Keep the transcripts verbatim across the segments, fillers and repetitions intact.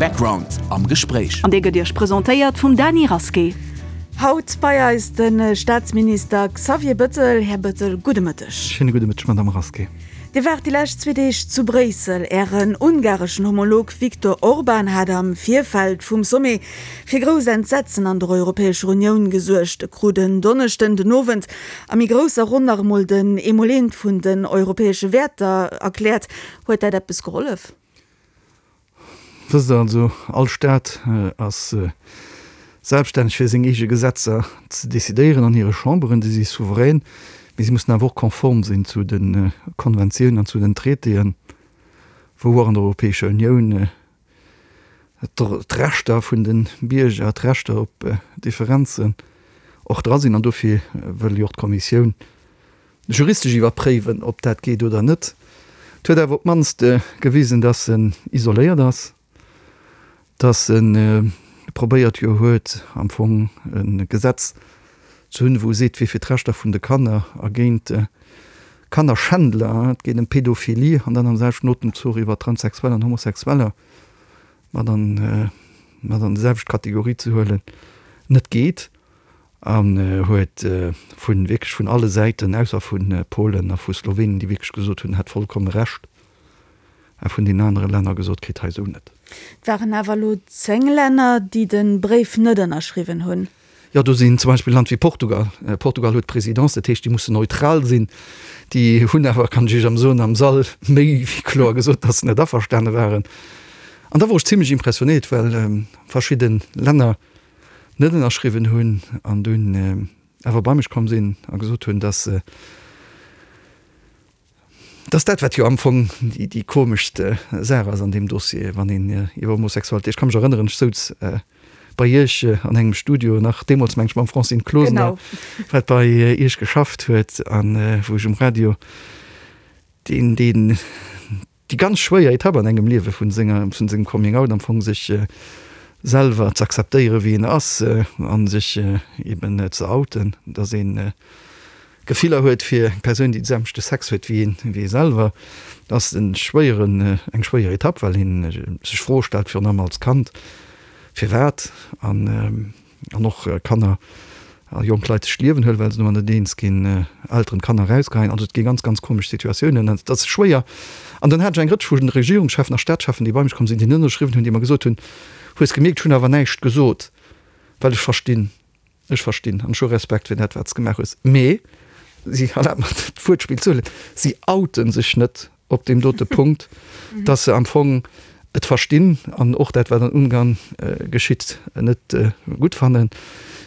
Background am Gespréich. An dee gëtt Iech presentéiert vum Dany Rasqué. Haut bei eis de Staatsminister Xavier Bëttel. Här Bëttel, gudde Mëtteg. Schéine gudde Mëtteg, Madamm Rasqué. Dir waart déi lescht zwee Deeg zu Bréissel. Ären ungareschen Homolog Viktor Orban hat am Virfeld vum Sommet fir grouss Entsetzen an der Europäescher Unioun gesuergt. E krut en Donneschden den Owend a méi grousser Ronn nach emol den Emoleent vun den europäesche Wäerter erkläert. Huet dat eppes gehollef? Wësst Der, also all Staat ass selbststänneg fir seng eege Gesetzer ze decidéieren an hire Chamberen, déi si souverän, mee si mussen awer och konform sinn zu de Konventiounen an zu den Traitéen, wou och an der Europäescher Unioun d'Rechter vun de Bierger, d'Rechter op Differenzen och dra sinn. An dofir wëll jo och d'Kommissioun juristesch iwwerpréiwen, ob dat geet oder net. Et huet awer op d'mannst gewisen, dass en isoléiert ass, dass e probéiert jo huet, am Fong e Gesetz ze hunn, wou e seet, wier fir d'Rechter vun de Kanner a géint Kannerschändler, et geet ëm Pedophilie, an dann am selwechten Otemzuch iwwer Transsexueller an Homosexueller mat an mat an déi selwecht Kategorie ze huelen, net geet. An huet vu wierklech vun alle Säiten, ausser vu Polen a vu Slowenien, déi wierklech gesot hunn, en hätt vollkomme Recht, a vun deenen anere Länner gesot kritt, hei esou net. Et waren awer elo zéng Länner, déi de Bréif net ënnerschriwwen hunn. Jo, do sinn zum Beispill Land wéi Portugal. Portugal huet d'Presidence, dat heescht, déi mussen neutral sinn. Déi hunn awer, kann ech Iech am soen, am Sall méi wéi kloer gesot, datt se net averstane waren. An da wor ech zimlech impressionéiert, well verschidde Länner net ënnerschriwwen hunn an dunn awer bei mech komm sinn a gesot hunn, datt se, datt dat, wat jo am Fong déi komeschst Saach ass an deem Dossier, wann een iwwer Homosexualitéit, ech ka mech erënneren, ech souz bei Iech an engem Studio nach deemools, meng ech, mam Francine Closener, wat bei Iech geschafft huet an wou ech um Radio deen, deen, déi ganz schwéier Etapp an engem Liewe vun senger, vun sengem Coming Out am Fong, sech selwer ze akzeptéiere wéi een ass a sech eben ze outen, datt ee Gefiller huet fir eng Persoun, déi de selwechte Sex huet wéi een, wéi ee selwer, ass e schwéieren, eng schwéier Etapp, well ee sech Froe stellt, virun allem als Kand, firwat an an och Kanner a jonk Leit sech d'Liewen huelen, well se domat net eens ginn, Elteren d'Kanner erausgeheien. Also et gi ganz, ganz komesch Situatiounen an et ass schwéier. An dann hat ech eng Rëtsch vu Regierungscheffen a Staatscheffen, déi bei mech komm sinn, déi net ënnerschriwwen hunn, déi mer gesot hunn, Hues gemierkt, ech hunn awer näischt gesot, well ech verstinn, ech verstinn an ech hu Respekt fir dat, wat s de gemaach hues. Mee si, erlaabt mer d'Wuertspill ze huelen, si outen sech net op deem dote Punkt, dass se am Fong et verstinn an och dat, wat an Ungarn geschitt, net gutt fannen,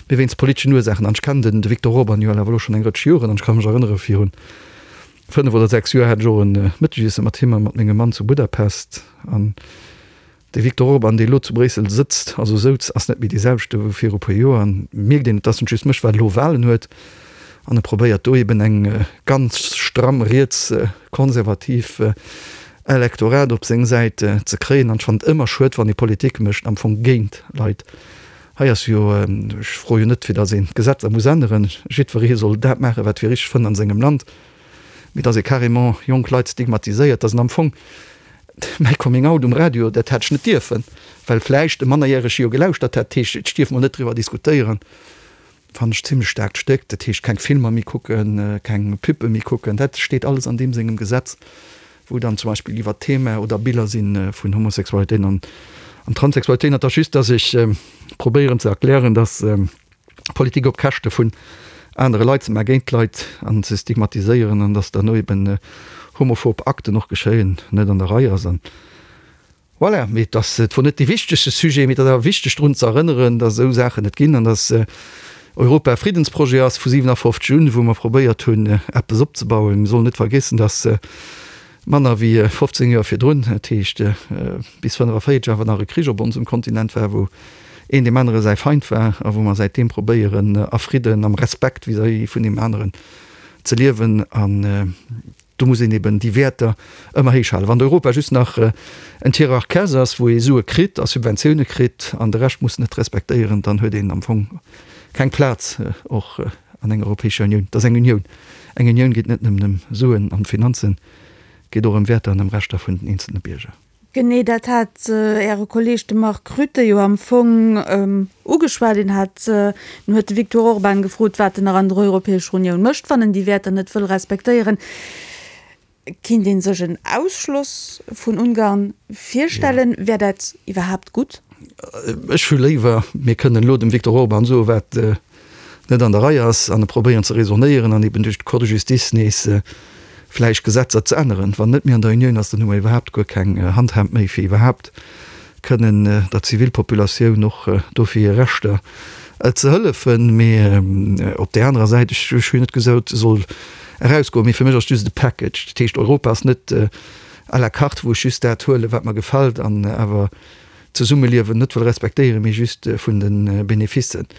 mee wéinst politeschen Ursaachen. An ech kennen de Viktor Orban jo awer elo schonn eng Rëtsch Joren an ech ka mech erënnere virun fënnef oder sechs Joer hat ech och e Mëttegiesse mat him a mat mengem Mann zu Budapest an De Viktor Orban, dee elo zu Bréissel sëtzt, also souz, ass net méi dee selwechte wéi viru puer Joer. An mierkt een, et ass net just mech, well elo Walen huet. An e probéiert do eben eng ganz stramm riets-konservativ Elektorat op seng Säit ze kréien. An ech fannen et ëmmer schued, wann ee Politik mécht am Fong géint Leit. Hei ass jo, ech froe jo net, fir datt een d'Gesetzer muss änneren, jiddweree soll dat maachen, wat fir richteg fënnt an sengem Land, mee datt ee carrément jonk Leit stigmatiséiert, datt en am Fong, Mäi Coming Out um Radio, dat hätt ech net dierfen, well vläicht e Mannerjärege jo gelauschtert hätt. Dat heescht, ech dierf mol net driwwer diskutéieren. Fannen ech zimmlech staarkt Stéck. Dat heescht, keng Filmer méi kucken, keng Pubbe méi kucken. Dat steet alles an deem sengem Gesetz, wou dann zum Beispill iwwer d'Thema oder Biller si vun Homosexualitéit an Transsexualitéit. Et ass just, dass ech probéieren ze erklären, dass Politik op Käschte vun anere Leit ze maachen, géint d'Leit an ze stigmatiséieren an dass derno eben homophob Akten och geschéien, net an der Rei ass. An voilà, mee et ass, et wor net dee wichtegste Sujet, mee et ass awer wichteg drun ze erënneren, dass esou Saachen et ginn an dass Europa e Friddensprojet ass vu siwenafofzeg un, wou mer probéiert hunn eppes opzebauen. Mir sollen net vergiessen, dass manner wéi fofzéng Joer virdrun, dat heescht bis fënnefavéierzeg, awer nach e Krich op onsem Kontinent war, wou een deem anere säi Feind war a wou mer säitdeem probéieren a Fridden, am Respekt vis-à-vis vun deem aneren ze liewen. An do muss een eben déi Wäerter ëmmer héich halen. Wann Europa just nach en Tiroir caisse ass, wou ee Sue kritt a Subventioune kritt an de Rescht muss net respektéieren, dann huet een am Fong keng Plaz och an enger Europäescher Unioun. Et ass eng Unioun. Eng Unioun geet net nëmmen ëm Suen an Finanzen, geet och ëm Wäerter an ëm Rechter vun den eenzelne Bierger. Genee dat hat Äre Kolleeg, de Mark Rutte, jo am Fong ugeschwat. Deen hat, deen huet de Viktor Orban gefrot, wat en nach an der Europäescher Unioun mécht, wann en déi Wäerter net wëll respektéieren. Kinnt ee sech en Ausschloss vun Ungarn virstellen? Wär dat iwwerhaapt gutt? Ech hu léiwer, mir kënnen elo dem Viktor Orban soen, wat net an der Rei ass, an e probéieren ze raisonnéieren an eben duerch d'Cour de justice nees vläicht Gesetzer ze änneren. Wann net méi an der Unioun ass, dann hu mer iwwerhaapt guer keng Handhab méi, fir iwwerhaapt kënnen der Zivilpopulatioun och do fir hir Rechter ze hëllefen. Mee op där anerer Säit, ech hunn net gesot, e soll erausgoen, mee fir mech ass et just e Package. Dat heescht, Europa ass net à la carte, wou ech just dat huelen, wat mer gefält, an awer d'Zesummeliewen net wëll respektéieren, mee just vun de Beneficen.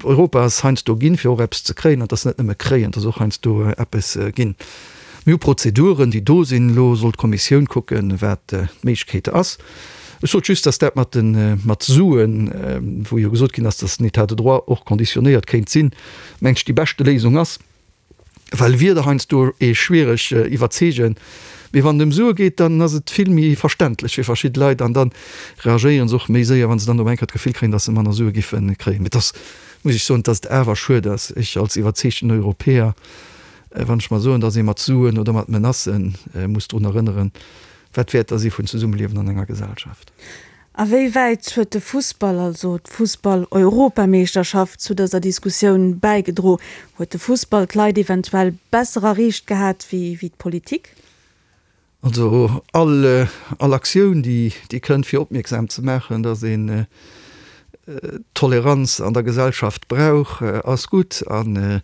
Europa ass heiansdo ginn, fir och eppes ze kréien, an et ass net nëmme kréien, et ass och heiansdo eppes ginn. Mir hu Prozeduren, déi do sinn. Elo soll d'Kommissioun kucken, wat d'Méiglechkeet ass. Ech sot just, dass dat mat de mat Suen, wou jo gesot ginn ass, dass den État de droit och konditionéiert kéint sinn, meng ech, déi beschte Léisung ass. Well Wierder heiansdo ee schwiereg iwwerzeegen, mee wann et ëm Sue geet, dann ass et vill méi verständlech fir verschidde Leit an da reagéiere se och méi séier, wa se dann op eng Kéier d'Gefill kréien, datt se manner Sue giffe kréien. Mee et ass, muss ech soen, datt et awer schued ass, ech als iwwerzeegten Europäer, wann ech mer soen, datt ee mat Suen oder mat Menacë muss drun erënneren, wat d'Wäerter si vun Zesummeliewen an enger Gesellschaft. A wéi wäit huet de Fussball, also d'Fussball-Europameeschterschaft, zu dëser Diskussioun bäigedro? Huet de Fussball d'Leit eventuell besser erreecht gehat wéi d'Politik? Also all all Aktioun, déi déi kënnt fir opmierksam ze maachen, datt een Toleranz an der Gesellschaft brauch, ass gutt. A mir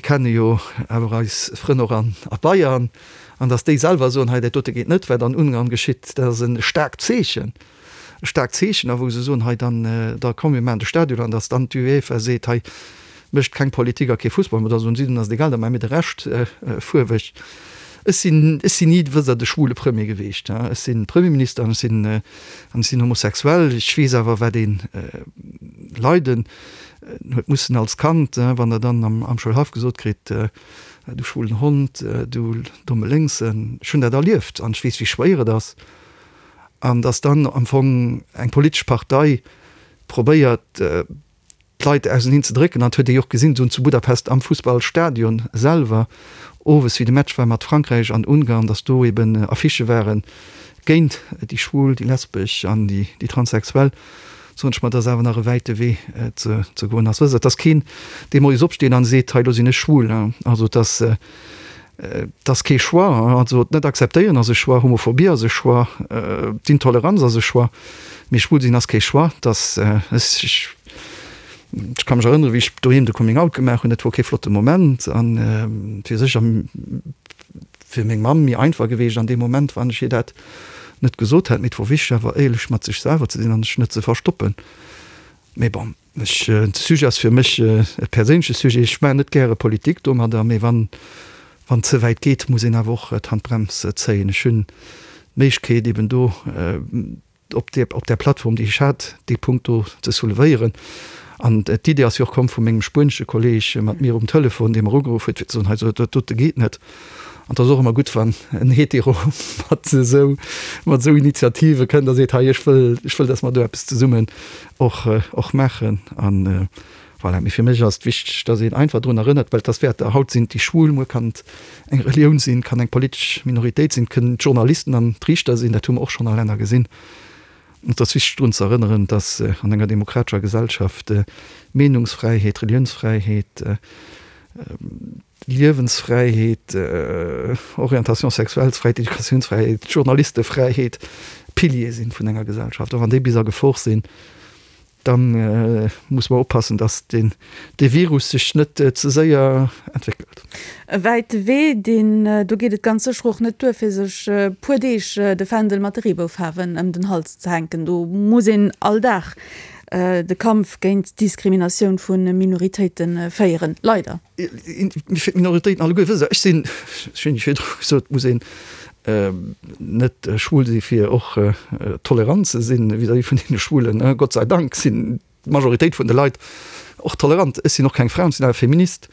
kenne jo awer eis Frënn och an a Bayern, an datt déi selwer soen, hei dat dote geet net, wat an Ungarn geschitt, dat ass e staarkt Zeechen, e staarkt Zeechen. A wou se soen, hei dann, da komm mir maachen de Stadion, an datt dann d'UEFA seet, hei mécht keng Politik a kee Fussball, mä da soen si, dann ass et egal, da maache mir de Rescht fuerweg. Ech sinn, ech sinn ni, wësst Der, de schwule Premier geweecht. Ech si Premierminister an ech sinn, an ech sinn homosexuell. Ech weess awer, wat ee leiden huet mussen als Kand, wann Der dann am, am Schoulhaff gesot kritt, Du schwulen Hond, du domme Lénksen. Ech hunn dat erlieft an ech weess, wéi schwéier et ass. An dass dann am Fong eng politesch Partei probéiert, d'Leit auseneen ze drécken, an et huet ee jo och gesinn, zu Budapest am Fussballstadion selwer, owes wéi de Match war mat Frankräich an Ungarn, datt do eben Affichë ware géint déi Schwul, déi Lesbesch an déi Transsexuell, soen ech mer, datt awer nach e wäite Wee ze goen ass. Wësst Der, et ass keen, dee moies opsteet an seet, hei elo sinn ech schwul. Also et ass, Et ass kee Choix. Also et net akzeptéieren ass e Choix, Homophobie ass e Choix, d'Intoleranz ass e Choix, mee schwul sinn ass kee Choix. Et ass, ech ka mech erënneren, wéi ech doheem de Coming Out gemaach hunn, dat wor kee flotte Moment an et wier sécher fir meng Mamm méi einfach geweecht an deem Moment, wann ech hir dat net gesot hätt. Mee et wor wichteg awer éierlech mat sech selwer ze sinn an sech net ze verstoppen. Mee bon. Ech, de Sujet ass fir mech e perséinleche Sujet. Ech maachen net gäre Politik domadder, mee wann wann et ze wäit geet, muss een awer och d'Handbrems zéien. Ech hunn d'Méiglechkeet eben do op där op där Plattform, déi ech hat, dee Punkt do ze soulevéieren. An d'Idee ass jo och komm vu mengem spuenesche Kolleeg mat mir um Telefon, dee mer ugeruff huet, fir ze soen, hei, dat dote geet net. An et ass och ëmmer gutt, wann en Hetero mat esou, mat esou Initiative kënnt a seet, hei, ech wëll, ech wëll, datt mer do eppes zesummen och, och maachen. An voilà. Mee fir mech ass et wichteg, datt een einfach drun erënnert, well et ass Wäerter. Haut sinn et déi Schwul, muer kann et eng Relioun sinn, kann eng politesch Minoritéit sinn, et kënnen d'Journalisten an d'Riichter sinn, dat hu mer och schonn a Länner gesinn. Et ass wichteg drun ze erënneren, datt an enger demokratescher Gesellschaft Meenungsfräiheet, Reliounsfräiheet, Liewensfräiheet, Orientation sexuellesfräiheet, Educatiounsfräiheet, Journalistefräiheet Piliere sinn vun enger Gesellschaft. A wann déi bis a Gefor sinn, da muss mer oppassen, dass deen dee Virus sech net ze séier entwéckelt. E wäite Wee, deen do geet et ganz sécher och net duer, fir sech e puer Deeg de Fändel mat de Reeboufaarwen ëm den Hals ze hänken. Do muss een all Dag de Kampf géint d'Diskriminatioun vu Minoritéite féieren, leider. Fir d'Minoritéiten alleguer, wësst Der, ech sinn, ech hunn virdru gesot, et muss een net schwul si fir och tolerant ze sinn vis-à-vis vun deene Schwulen. Gott sei Dank sinn d'Majoritéit vun de Leit och tolerant. Ech sinn och keng Fra an ech sinn awer Feminist.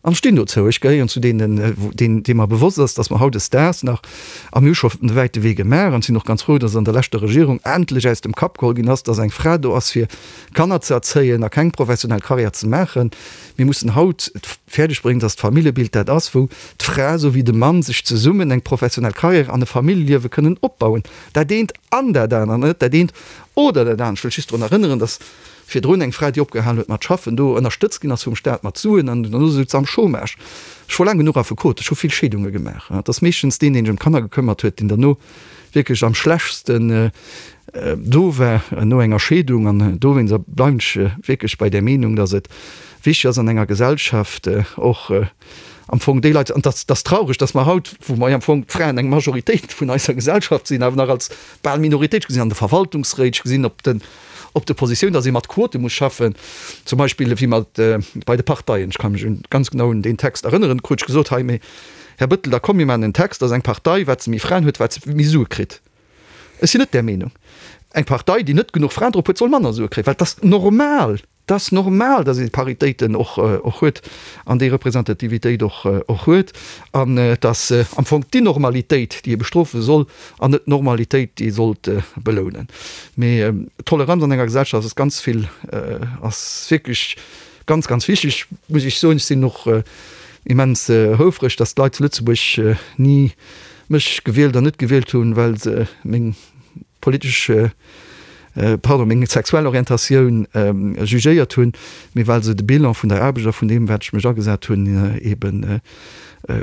An ech stinn dozou, ech gehéieren zu deenen, deenen, deem mer bewosst ass, dass mer hautdesdaags nach, a mir hu scho e wäite Wee gemaach an sinn och ganz frou, dass an der leschter Regierung endlech aus dem Kapp geholl ginn ass, dass eng Fra do ass fir Kanner ze erzéien a keng professionell Karriär ze maachen. Mir mussen haut et fäerdeg bréngen, dass d'Familljebild dat ass, wou d'Fra esou wéi de Mann sech zesummen eng professionell Karriär an e Familljeliewe kënnen opbauen. Dat eent an dat anert, net dat eent oder dat anert. Ech wëll just drun erënneren, dass virdrun eng Fra, déi opgehalen huet mat schaffen, do ënnerstëtzt ginn ass vum Staat mat Suen an dono souz se am Chômage. Ech wor laang genuch Affekot, ech hu vill Scheedunge gemaach. Et ass meeschtens deen, deen sech ëm d'Kanner gekëmmert huet, deen derno wierklech am schlechtsten do war no enger Scheedung. An dowéinst bleiwen ech wierklech bei där Meenung, dass et wichteg ass an enger Gesellschaft och am Fong déi Leit, an dat ass traureg, dass mer haut, wou mer am Fong d'Fraen eng Majoritéit vun eiser Gesellschaft sinn, awer nach als bal Minoritéit gesinn an de Verwaltungsréit, gesinn op den op de Positioun, dass ee mat Quote muss schaffen, zum Beispill wéi mat bei de Parteien. Ech ka mech un ganz genau un deen Text erënneren, krut ech gesot, hei, mee Här Bettel, da komm mir maachen en Text, dass eng Partei, wat se méi Fraen huet, wat se méi Sue kritt. Ech sinn net där Meenung. Eng Partei, déi net genuch Fraen drop huet, soll manner Sue kréien, well et ass normal, et ass normal, dass ee Paritéiten och och huet an déi Representativitéit och och huet. An et ass am Fong d'Innormalitéit, déi ee bestrofe soll an net d'Normalitéit, déi ee sollt belounen. Mee Toleranz an enger Gesellschaft ass ganz vill, ass wierklech ganz, ganz wichteg, muss ech soen. Ech sinn och immens houfreg, dass d'Leit zu Lëtzebuerg ni mech gewielt an net gewielt hunn, well se meng politesch, pardon, meng sexuell Orientatioun jugéiert hunn, mee well se de Bilan vun der Aarbecht a vun deem, wat ech mech agesat hunn, eebe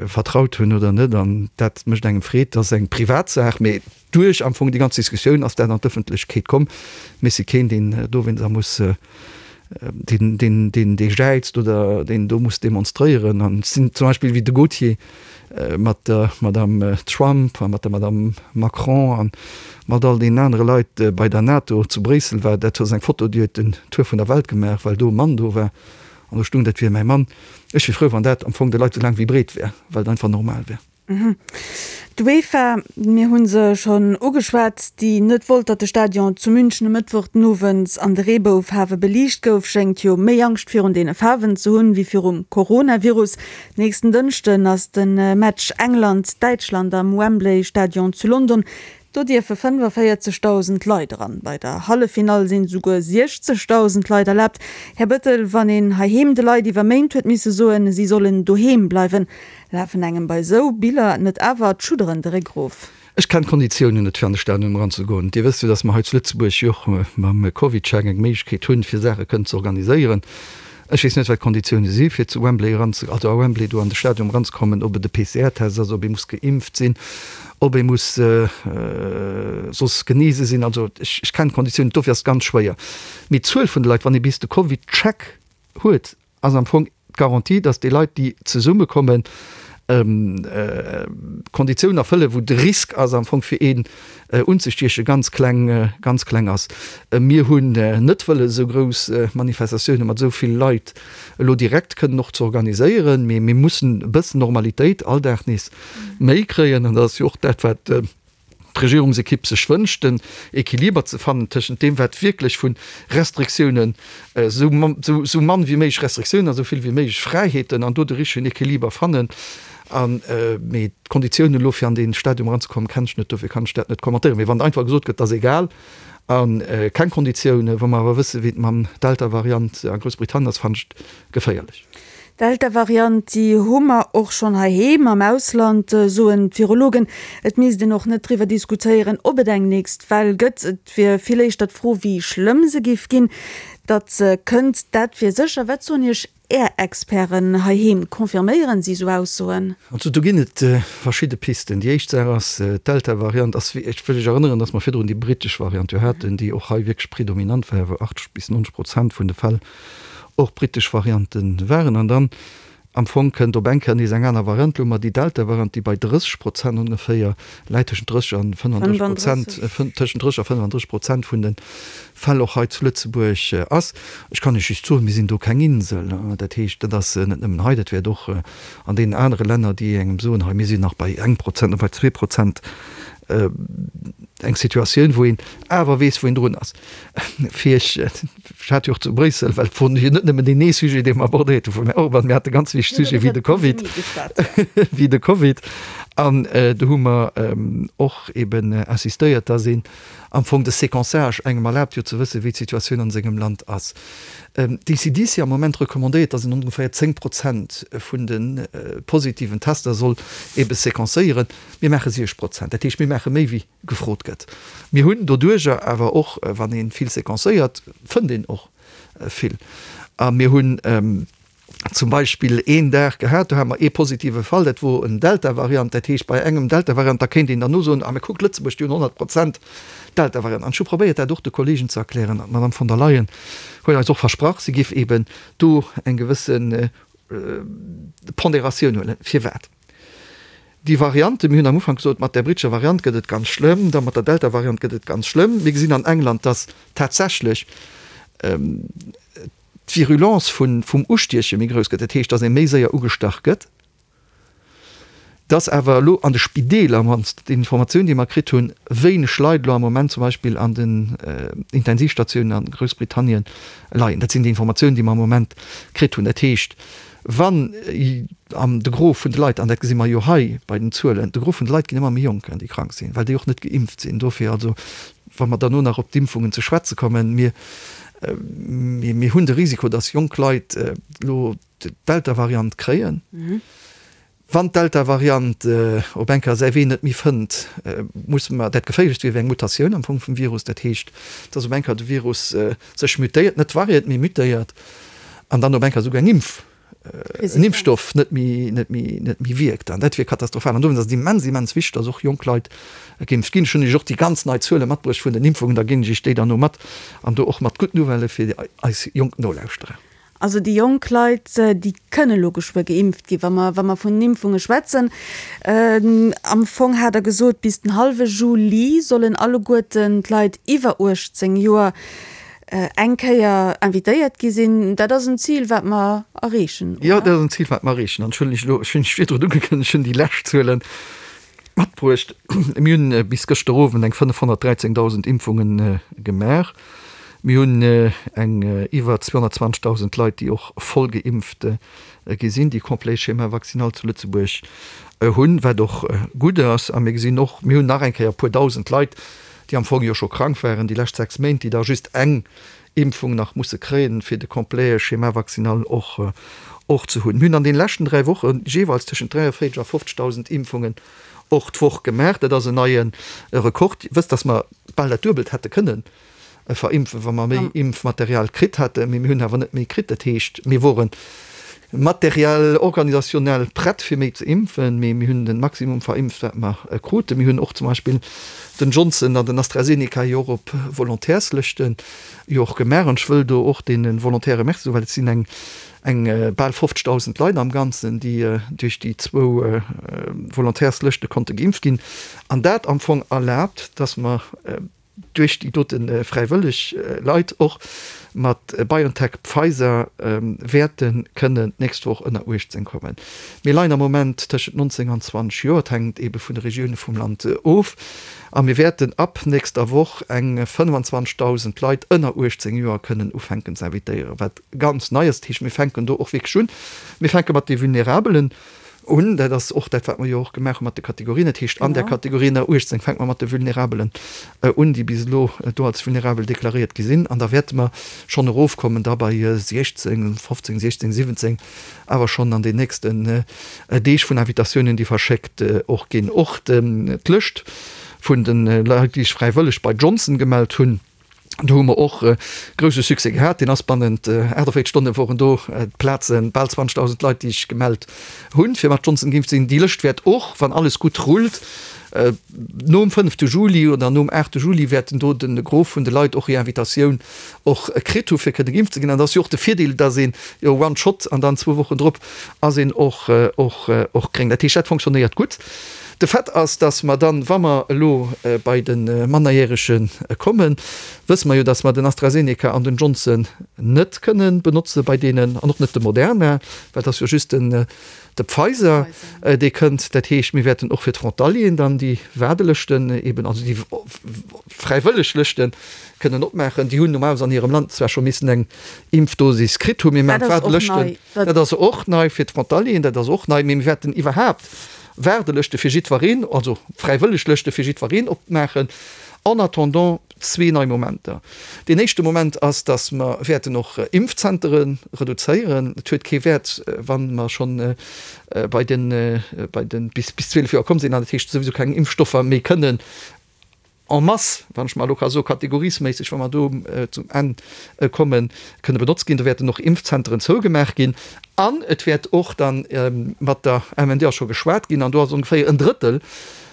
vertraut hunn oder net. An dat mécht engem Freed. Dat ass eng Privatsaach, mee duerch am Fong déi ganz Diskussioun ass dat an d'Ëffentlechkeet komm. Mee ech si keen, deen dowéinster muss deen, deen, deen, dee jäizt oder deen do muss demonstréieren. An et sinn zum Beispill wéi de Gauthier mat der Madame Trump a mat der Madame Macron a mat all deenen anere Leit bei der NATO zu Bréissel war. Dat ass eng Foto, déi huet den Tour vun der Welt gemaach, well do e Mann do war an do stung, dat wier mäi Mann. Ech wier frou, wann dat am Fong de Leit esou laang wéi breet wär, well et einfach normal wär. D'UEFA, mir hu se schonn ugeschwat, déi net wollt, datt de Stadion zu München e Mëttwoch den Owend an de Reeboufaarwe beliicht gouf, schéngt jo méi Angscht virun deene Faarwen ze hunn, wéi virum Coronavirus. Nächsten Dënschden ass de Match England-Däitschland am Wembley Stadion zu London. Do dierfe fënneféierzegdausend Leit eran. Bei der Halleffinall sinn esouguer siechzegdausend Leit erlaabt. Här Bettel, wann een heiheem de Leit iwwer Méint huet misse soen, si sollen doheem bleiwen, lafen engem bei esou Biller net awer d'Schudderen de Réck erof? Ech kennen d'Konditiounen net fir an de Stadion eranzegoen. Dir wësst jo, datt mer hei zu Lëtzebuerg jo och mam CovidCheck eng Méiglechkeet hunn, fir Saache kënnen ze organiséieren. Ech weess net, wat d'Konditioune si fir zu Wembley eran, also a Wembley do an de Stadion eranzekommen, ob et e P C R-Test ass, ob ee muss geimpft sinn, ob ee muss soss genese sinn. Also ech, ech kennen d'Konditiounen net, dofir ass et ganz schwéier. Mee d'Zuel vun de Leit, wann ee bis de CovidCheck huet, ass am Fong d'Garantie, datt déi Leit, déi zesummekommen, Konditiounen erfëllen, wou de Risk ass am Fong fir een unzestiechen, ganz kleng, ganz kleng ass. Mir hunn net wëllen esou grouss Manifestatioune mat esou vill Leit elo direkt kënnen och ze organiséieren, mee mir mussen e bëssen Normalitéit, Alldag nees méi kréien an dat ass jo och dat, wat d'Regierungsekipp sech wënscht, den Equiliber ze fannen tëschent deem, wat wierklech vu Restriktiounen, esou mann wéi méiglech Restriktiounen a esou vill wéi méiglech Fräiheeten, an do de richtegen Equiliber fannen. An, mee d'Konditiounen elo fir an dee Stadium eranzekommen, kennen ech net, dofir kann ech dat net kommentéieren. Mee wann einfach gesot gëtt, dat ass egal a keng Konditiounen, wa mer awer wësse wéi et mam Delta-Variant a Groussbritannien ass, fannen ech et geféierlech. D'Delta-Variant, déi hu mer och schonn heiheem. Am Ausland soen d'Virologen, et misst een och net driwwer diskutéieren, ob et eng nächst Well gëtt. Et wier vill éischter d'Fro, wéi schlëmm se géif ginn. Datt se kënnt, dat wier sécher. Wat soen Iech Är Experten heiheem? Confirméieren si esou Aussoen? Also do ginn et verschidde Pisten. Déi éischt Saach ass, d'Delta-Variant ass, ech wëll lech erënneren, datt mer virdrun déi brittesch Variant jo haten, déi och hei wierklech predominant war, wou achtzeg bis neunzeg Prozent vun de Fäll och brittesch Variante waren. An dann am Fong kënnt op eng Kéier nees eng aner Variant. Elo hu mer déi Delta-Variant, déi bei drësseg Prozent ongeféier läit, tëschent drësseg an fënnefandrësseg Prozent, tëschent drësseg a fënnefandrësseg Prozent vun de Fäll och hei zu Lëtzebuerg ass. Ech kann Iech just soen, mir sinn do keng Insel. Dat heescht, dat ass net nëmmen hei, dat wäert och an deenen anere Länner, déi engem soen, hei mir sinn nach bei engem Prozent oder bei zwee Prozent eng Situatioun, wou een awer weess, wou een drun ass. Fir ech, ech hat jo och zu Bréissel, well et wor jo net nëmmen deen ee Sujet, dee mer abordéiert hu vum Här Orban, mir hate ganz wichteg Sujete wéi de Covid, wéi de Covid. An do hu mer och eben insistéiert, dass een am Fong de Séquençage engem erlaabt jo ze wëssen, wéi d'Situatioun an sengem Land ass. D'ECDC am Moment recommandéiert, dass een ongeféier zéng Prozent vun de positiven Tester soll ebe séquencéieren. Mir maache siech Prozent. Dat heescht, mir maache méi wéi gefrot gëtt. Mir hunn doduerjer awer och, wann ee vill séquencéiert, fënnt een och vill. A mir hunn zum Beispill een Dag gehat, do hate mer ee positive Fall, dat wor en Delta-Variant. Dat heescht, bei engem Delta-Variant, da kéint een derno soen, ah mä kuckt, Lëtzebuerg, déi hunn honnert Prozent Delta-Variant. An ech hu probéiert, dat och de Kollegen ze erklären. An d'Madame von der Leyen huet eis och versprach, si géif eeben do eng gewësse Ponderatioun huelen. Firwat? Déi Variante, mir hunn am Ufank gesot, mat där brittescher Variant gëtt et ganz schlëmm, da mat der Delta-Variant gëtt et ganz schlëmm. Mir gesinn an England, dass tatsächlech d'Virulence vum Ustieche méi grouss gëtt, dat heescht, dass ee méi séier ugestach gëtt, dass awer elo an de Spideeler, mannst déi Informatioun, déi mer kritt hunn, wéineg Leit elo am Moment zum Beispill an den Intensivstatiounen a Groussbritannien leien. Dat sinn déi Informatiounen, déi mer am Moment kritt hunn. Dat heescht, wann an de Gros vun de Leit, an dat gesi mer jo hei bei den Zuelen, de Gros vun de Leit ginn ëmmer méi jonk, déi krank sinn, well déi och net geimpft sinn. Dofir also, wa mer derno nach op d'Impfungen ze schwätze kommen, mir, mir hunn de Risiko, dass jonk Leit elo d'Delta-Variant kréien. Wann d'Delta-Variant op eng Kéier säi Wee net méi fënnt, musse mer, dat Geféierlechst wier, wär eng Mutatioun am Fong vum Virus, dat heescht, dass op eng Kéier de Virus sech mutéiert, net variéiert, mee mutéiert, an dann op eng Kéier esouguer eng Impf, en Impfstoff net méi, net méi, net méi wierkt. An dat wier katastrophal. An dowéinst ass et immens, immens wichteg, dass och jonk Leit geimpft ginn. Ech hunn Iech och déi ganz nei Zuele matbruecht vun den Impfungen, da ginn ech Iech déi dann no mat, an do och mat gutt Nouvellë fir eis jonk Nolauschterer. Also déi jonk Leit, déi kënne lo geschwë geimpft ginn, wa mer, wa mer vun den Impfunge schwätzen. Am Fong hat Der gesot, bis den hallwe Juli sollen alleguerten d'Leit iwwer uechtzéng Joer eng Kéier invitéiert gi sinn. Dat ass en Zil, wat mer erreechen, oder? Jo, dat ass en Zil, wat mer erreechen. An ech hunn lech elo, ech hunn lech virdrun ugekënnegt, ech hunn déi lescht Zuelen matbruecht. Mir hunn bis gëschter Owend eng fënnefhonnertdräizéngdausend Impfunge gemaach. Mir hunn eng iwwer zweehonnertzwanzegdausend Leit, déi och voll geimpft gi sinn, déi complet Schéma vaccinal zu Lëtzebuerg hunn, wat och gutt ass. A mir gesinn och, mir hunn nach eng Kéier e puer dausend Leit, déi am Fong jo scho krank waren déi lescht sechs Méint, déi da just eng Impfung nach musse kréien, fir de complet Schéma vaccinal och och ze hunn. Mir hunn an deene leschten dräi Woche jeeweils tëschent dräiavéierteg a fofzegdausend Impfungen och d'Woch gemaach. Dat ass en neie Rekord. Dir wësst, dass mer bal dat Duebelt hätte kënnen verimpfen, wa mer méi Impfmaterial kritt hätten, mee mir hunn awer net méi kritt. Dat heescht, mir wore materiell, organisationnel prett fir méi ze impfen, mee mir hunn de Maximum verimpft, wat mer kruten. Mir hunn och zum Beispill den Johnson an den AstraZeneca jo och op Volontärslëschte jo och gemaach. An ech wëll do och deene Volontäre Merci soen, well et sinn eng eng bal fofzegdausend Leit am Ganzen, déi duerch déi zwou Volontärslëschte konnte geimpft ginn. An dat am Fong erlaabt, dass mer duerch déi dote fräiwëlleg Leit och mat BioNTech, Pfizer wäerte kënnen d'nächst Woch ënner uechtzéng kommen. Mir leien am Moment tëschent nonzéng an zwanzeg Joer, et hänkt eebe vun de Regioune vum Land of, a mir wäerten ab nächster Woch eng fënnfanzwanzegdausend Leit ënner uechtzéng Joer kënnen ufänken ze invitéieren, wat ganz nei ass. Dat heescht, mir fänken do och wierklech un. Mir fänke mat de Vulnerabelen Un, dat ass och dat, wat mer jo och gemaach hu mat de Kategorien. Dat heescht, an där Kategorie ënner uechtzéng fänke mer mat de Vulnerabelen un, déi bis elo do als vulnerabel deklaréiert gi sinn. An da wäerte mer schonn erofkommen da bei siechzéng, fofzéng, siechzéng, siwwenzéng, awer schonn an den nächsten Deeg vun Invitatiounen, déi verschéckt och ginn. Och d'Lëscht vun de Leit, déi sech fräiwëlleg bei Johnson gemellt hunn, Do hu mer och grousse Succès gehat. Deen ass bannent achtundvéierzeg Stonne woren do d'Plazen, bal zwanzegdausend Leit, déi sech gemellt hunn, fir mat Johnson geimpft ze sinn. Déi Lëscht wäert och, wann alles gutt rullt, nom fënnefte Juli oder nom aachte Juli wäerten do de Gros vun de Leit och hir Invitatioun och kritt hu fir kënne geimpft ze ginn. An dat ass jo och de Virdeel, dass een jo one shot an dann zwou Wochen drop ass een och och och gréng. Dat heescht, dat fonctionnéiert gutt. De Fait ass, dass mer dann, wa mer elo bei de Mannerjärege kommen, wësse mer jo, dass mer den AstraZeneca an den Johnson net kënnen benotze bei deenen an och net de Moderna, well et ass jo just den de Pfizer, dee kënnt. Dat heescht, mir wäerten och fir d'Frontalieren dann déi Waardelëschten eben, also déi fräiwëlleg Lëschte kënnen opmaachen. Déi hunn normalerweis an hirem Land zwar scho missen eng Impfdosis kritt hunn, mee mir maachen d'Waardelëschten, dat ass och nei fir d'Frontalieren, dat ass och nei, mee mir wäerten iwwerhaapt Waardelëschte fir jiddwereen, also fräiwëlleg Lëschte fir jiddwereen opmaachen, en attendant zwee nei Momenter. Deen éischte Moment ass, dass mer wäerten och Impfzentere reduzéieren. Et huet kee Wäert, wa mer schonn bei den, bei den, bis, bis zwielef Joer komm sinn, an dat heescht souwisou keng Impfstoffer méi kënnen en masse, wann ech mar elo ka soen, kategoriesméisseg, wa mer do zum Enn kommen, kënne benotzt ginn. Do wäerten och Impfzenteren zougemaach ginn an et wäert och dann mat der M N D ass scho geschwat ginn, an do ass ongeféier en Drëttel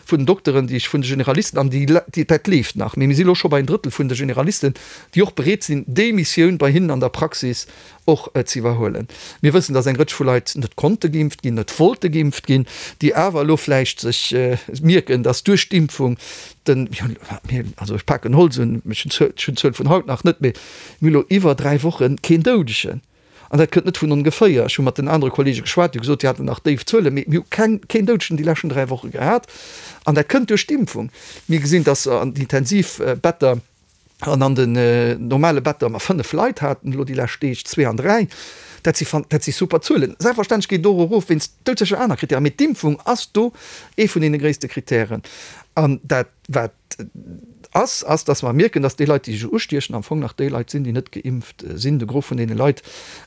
vun den Dokteren, déi ech vun de Generalisten, an déi, dat leeft nach, mee mir si elo scho bei en Drëttel vun de Generalisten, déi och bereet sinn, déi Missioun bei hinnen an der Praxis och ze iwwerhuelen. Mir wëssen, dass eng Rëtsch vu Leit net konnte geimpft ginn, net wollte geimpft ginn, déi awer elo vläicht sech mierken, dass duerch d'Impfung den, also ech paken Holz un, ech hunn d'Zuel vun haut nach net, mee mir hu elo iwwer dräi Woche keen Doudegen. An dat kënnt net vun ongeféier. Ech hu mat den anere Kollege geschwat, déi hu gesot, déi haten nach déif Zuelen, mee mir hu keng, keen Doudegen déi leschten dräi Woche gehat. An dat kënnt duerch d'Impfung. Mir gesinn, dass an den Intensivbetter an an den normale Better mer fënnef Leit haten elo déi lescht Deeg, zwee an dräi. Dat si, dat si super Zuelen. Selbstverständlech geet et och erof wéinst doudsécher aner Kritären, mee d'Impfung ass do ee vun deene gréisste Kritären. An dat, wat ass, ass, dass mer mierken, dass déi Leit, déi sech ustiechen, am Fong nach déi Leit sinn, déi net geimpft sinn, de Gros vun deene Leit,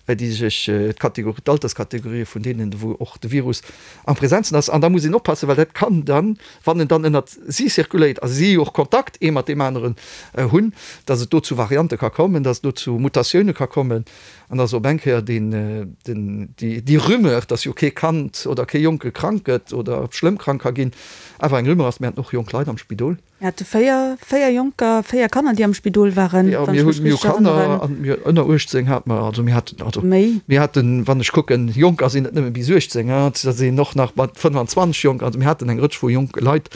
déi sech, d'Kategorie, d'Alterskategorië vun deenen, wou och de Virus am presentsten ass. An da muss een oppassen, well dat kann dann, wann en dann ënnert si zirkuléiert a si och Kontakt ee mat deem aneren hunn, dass et do zu Variante ka kommen, dass et do zu Mutatioune ka kommen an dass op eng Kéier deen, den, déi, déi Rumeur, dass jo kee Kand oder kee Jonke krank gëtt oder schlëmm krank ka ginn, awer eng Rumeur ass. Mir haten och jonk Leit am Spidol. Mir hate véier, véier Jonker, véier Kanner, déi am Spidol waren, wann ech mech richteg erënneren. Jo, mir hu Kanner an mir ënner uechtzéng hate mer, also mir haten, also Méi. mir haten, wann ech kucken, Jonker sinn net nëmme bis uechtzéng, hein, da sinn och nach mat fënnefanzwanzeg Jonker, also mir haten eng Rëtsch vu jonke Leit,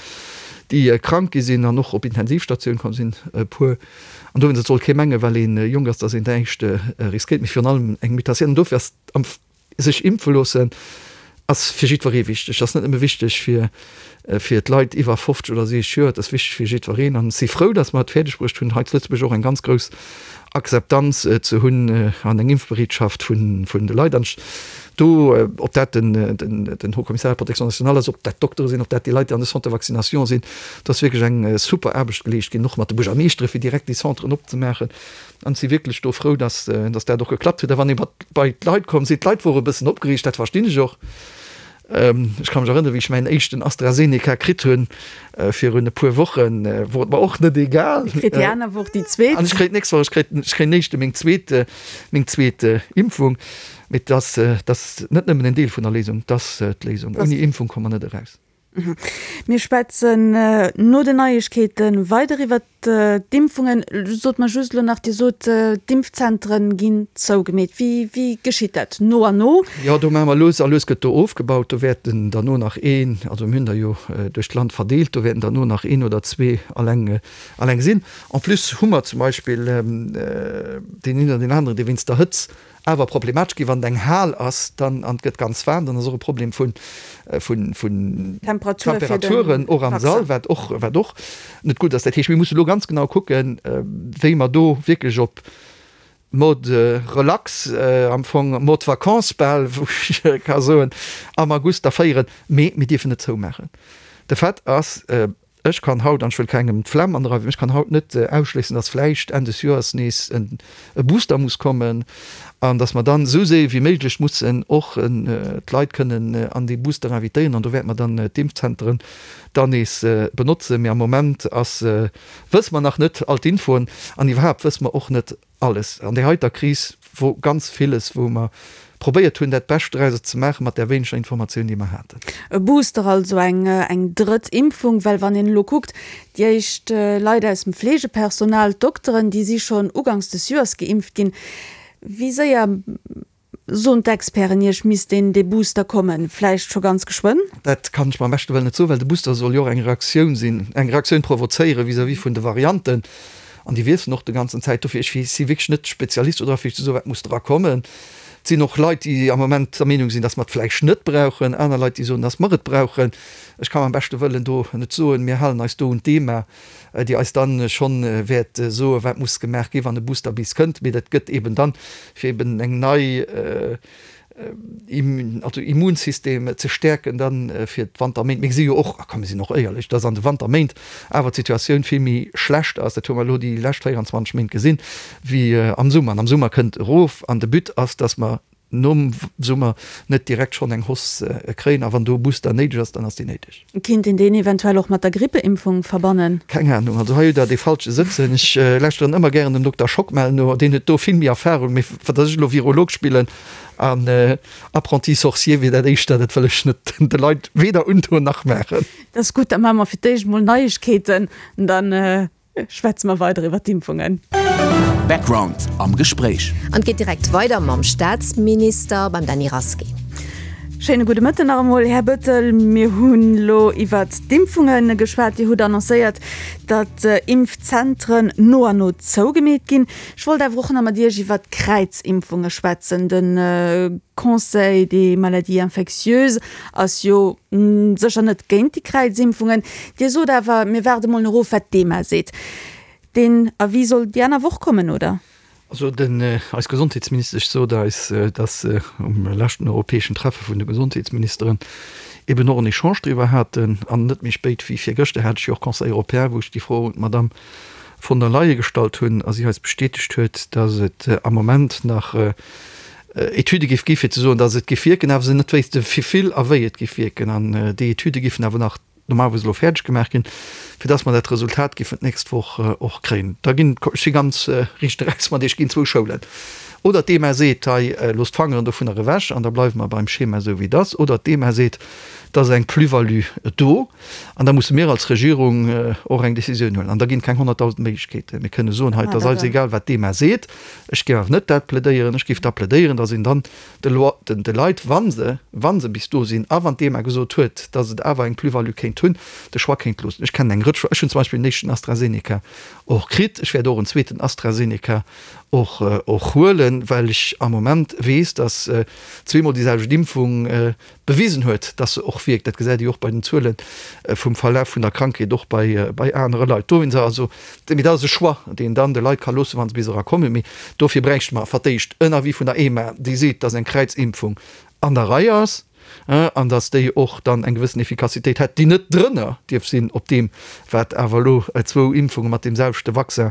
déi krank gi sinn an och op Intensivstatioun komm sinn, e puer. An dowéinst, et soll kee mengen, well ee jonk ass, datt een näischt riskéiert, mee virun allem eng Mutatioun. An dofir ass am sech impfe loossen ass fir jiddweree wichteg. Ass net nëmme wichteg fir fir d'Leit iwwer fofzeg oder siwwzeg Joer, et ass wichteg fir jiddwereen. An ech si frou, datt mer et fäerdeg bruecht hunn, hei zu Lëtzebuerg och eng ganz grouss Akzeptanz ze hunn an eng Impfbereetschaft vun vun de Leit. An ech do, ob dat den den den Haut Commissariat à la protection nationale ass, ob dat d'Doktere sinn, ob dat déi Leit, déi an de Centres de vaccination sinn, do ass wierklech eng super Aarbecht geleescht ginn, och mat de Buergermeeschtere fir direkt déi Centren opzemaachen. An ech si wierklech do frou, datt datt dat och geklappt huet. A wann ee mat bei d'Leit komm sinn, d'Leit wore e bëssen opgereegt, dat verstinn ech och. Ech ka mech erënneren, wéi ech mäin éischten AstraZeneca kritt hunn, virun e puer Wochen, wor et mer och net egal. Dir kritt déi aner Woch déi zweet. An ech kréien d'nächst Woch, ech kréien, ech kréien d'éischte meng zweet, meng zweet Impfung. Mee et ass, et ass net nëmmen en Deel vun der Léisung, et ass d'Léisung. Ouni Impfung komme mer net eraus. Mir schwätzen no den Neiegkeete weider iwwert d'Impfungen. Sot mer just elo nach, Dir sot, d'Impfzentren ginn zougemeet. Wéi, wéi geschitt dat? No an no? Jo, do maache mer lues a lues gëtt do ofgebaut. Do wäerten derno nach een, also mir hunn der jo duerch d'Land verdeelt, do wäerten derno nach een oder zwee alleng, alleng sinn. En plus hu mer zum Beispill deen een oder deen aneren, dee wéinst der Hëtz awer problematesch ginn, wann et eng Hal ass, dann, an et gëtt ganz waarm, dann ass och e Problem vun, vun, vun Temperaturen och am Sall, wat och, wat och net gutt ass. Dat heescht, mir musse lo ganz genau kucken, wéi mer do wierklech op Mode relax, am Fong Mode vacances bal, wou ech ka soen, am August da féieren. Mee mir dierfen net zoumaachen. De Fait ass, Ech kann haut, an ech wëll kengem d'Flemm andreiwen, ech kann haut net ausschléissen, dass vläicht Enn des Joers nees e Booster muss kommen an dass mer dann esou séier wéi méiglech mussen och d'Leit kënnen an dee Booster invitéieren. An do wäerte mer dann d'Impfzenteren dann nees benotzen. Mee am Moment ass, wësse mer nach net all d'Infoen an iwwerhaapt wësse mer och net alles. An där heiter Kris wor ganz villes, wou mer probéiert hunn, dat Bescht drauser ze maachen, mat där wéineger Informatioun, déi mer haten. E Booster, also eng eng drëtt Impfung, well wann een elo kuckt, déi éischt Leit aus dem Fleegepersonal, d'Dokteren, déi si schonn uganks des Joers geimpft ginn. Wéi séier soen d'Experten Iech, misst deen dee Booster kommen? Vläicht scho ganz geschwënn? Dat kann ech beim beschte Wëllen net soen, well de Booster soll jo och eng Reaktioun sinn, eng Reaktioun provozéiere vis-à-vis vun de Varianten. An déi wiesselen och de ganzen Zäit. Dofir, ech si wierklech net Spezialist do dra fir ze soen, wat muss dra kommen. Et sinn och Leit, déi am Moment der Meenung sinn, datt mer et vläicht net brauchen, aner Leit, déi soen, datt mer et brauchen. Ech ka beim beschte Wëllen do net soen. Mir halen eis do un d'EMA, déi eis da schonn wäert soen, wat muss gemaach ginn, wann e Booster bis kënnt. Mee dat gëtt eben dann, fir eben eng nei, also Immunsystem ze stäerken dann fir d'Wanterméint. Mir gesi jo och, a komm mir sinn och éierlech, dass an de Wanterméint awer d'Situatioun vill méi schlecht ass, dat hu mer elo déi lescht véierundzwanzeg Méint gesinn, wéi am Summer. An am Summer kënnt erof an de But ass, dass mer nom Summer net direkt schonn eng Hausse kréien. A wann do e Booster néideg ass, dann ass deen néideg. Kinnt een deen eventuell och mat der Grippeimpfung verbannen? Keng Ahnung, also hei hutt Der dee Falsche sëtzen. Ech lauschteren ëmmer gären dem Dokter Schockmel no, deen huet do vill méi Erfahrung. Mee fir datt ech elo Virolog spillen an Apprenti sorcier wier dat éischter, dat wëll ech net de Leit weder undoen nach maachen. Dat ass gutt, da maache mer fir d'éischt mol Neiegkeeten, dann schwätze mer weider iwwer d'Impfungen. Background am Gespréich. An et geet direkt weider mam Staatsminister, beim Dany Rasqué. Schéine gudde Mëtten nach emol, Här Bettel. Mir hunn elo iwwert d'Impfunge geschwat. Dir hutt annoncéiert, datt Impfzentren no an no zougemeet ginn. Ech wollt awer och nach mat Iech iwwert d'Kräizimpfunge schwätzen. De Conseil des maladies infectieuses ass jo sécher net géint déi Kräizimpfungen. Dir sot awer, mir waarde mol nach of, wat d'EMA seet. Deen Avis soll déi aner Woch kommen, oder? Also den, eis Gesondheetsministesch sot eis, dass se um leschten europäeschen Treffe vun de Gesondheetsministeren eben och en Echange driwwer haten. An net méi spéit wéi virgëschter hat ech jo och Conseil européen, wou ech déi Fro un d'Madame von der Leyen gestallt hunn a si eis bestätegt huet, dass et am Moment nach Etüde géif gi fir ze soen, dass et géif wierken, awer se net wéisste wéi vill a wéi et géif wierken. An déi Etüde géifen awer nach normalerweis elo fäerdeg gemaach ginn, fir dass mer dat Resultat géifen d'nächst Woch och kréien. Da ginn, ech si ganz riicht eraus mat Iech, ginn zwou Schoulen. Oder d'EMA seet, hei, loosst d'Fangeren dovunner ewech an da bleiwe mer beim Schema esou wéi et ass. Oder d'EMA seet, et ass eng Plus-value do an da musse mir als Regierung och eng Décisioun huelen. An da ginn et keng honnertdausend Méiglechkeeten. Mir kënne soen, hei, et ass eis egal, wat d'EMA seet. Ech géif awer net dat plädéieren. Ech géif da plädéieren, dass een dann de Loi, den, de Leit, wa se, wa se bis do sinn a wann d'EMA gesot huet, dass et awer eng Plus-value kéint hunn, de Choix kéint loossen. Ech kennen eng Rëtsch, ech hunn zum Beispill den éischten AstraZeneca och kritt, ech wäert och en zweeten AstraZeneca och, och huelen, well ech am Moment weess, dass zweemol déi selwecht Impfung bewisen huet, dass se och wierkt. Dat gesäit ee jo och bei den Zuele vum Verlaf vun der Krankheet, och bei, bei anere Leit. Dowéinst also, mee dat ass e Choix, deen dann de Leit ka loossen, wa se bis erakommen. Mee dofir bräichte mer fir d'éischt en Avis vun der EMA, déi seet, dass eng Kräizimpfung an der Rei ass an dass déi och dann eng gewëssen Effikassitéit hätt, déi net drënner dierf sinn op deem, wat awer elo zwou Impfunge mat deem selwechte Vaccin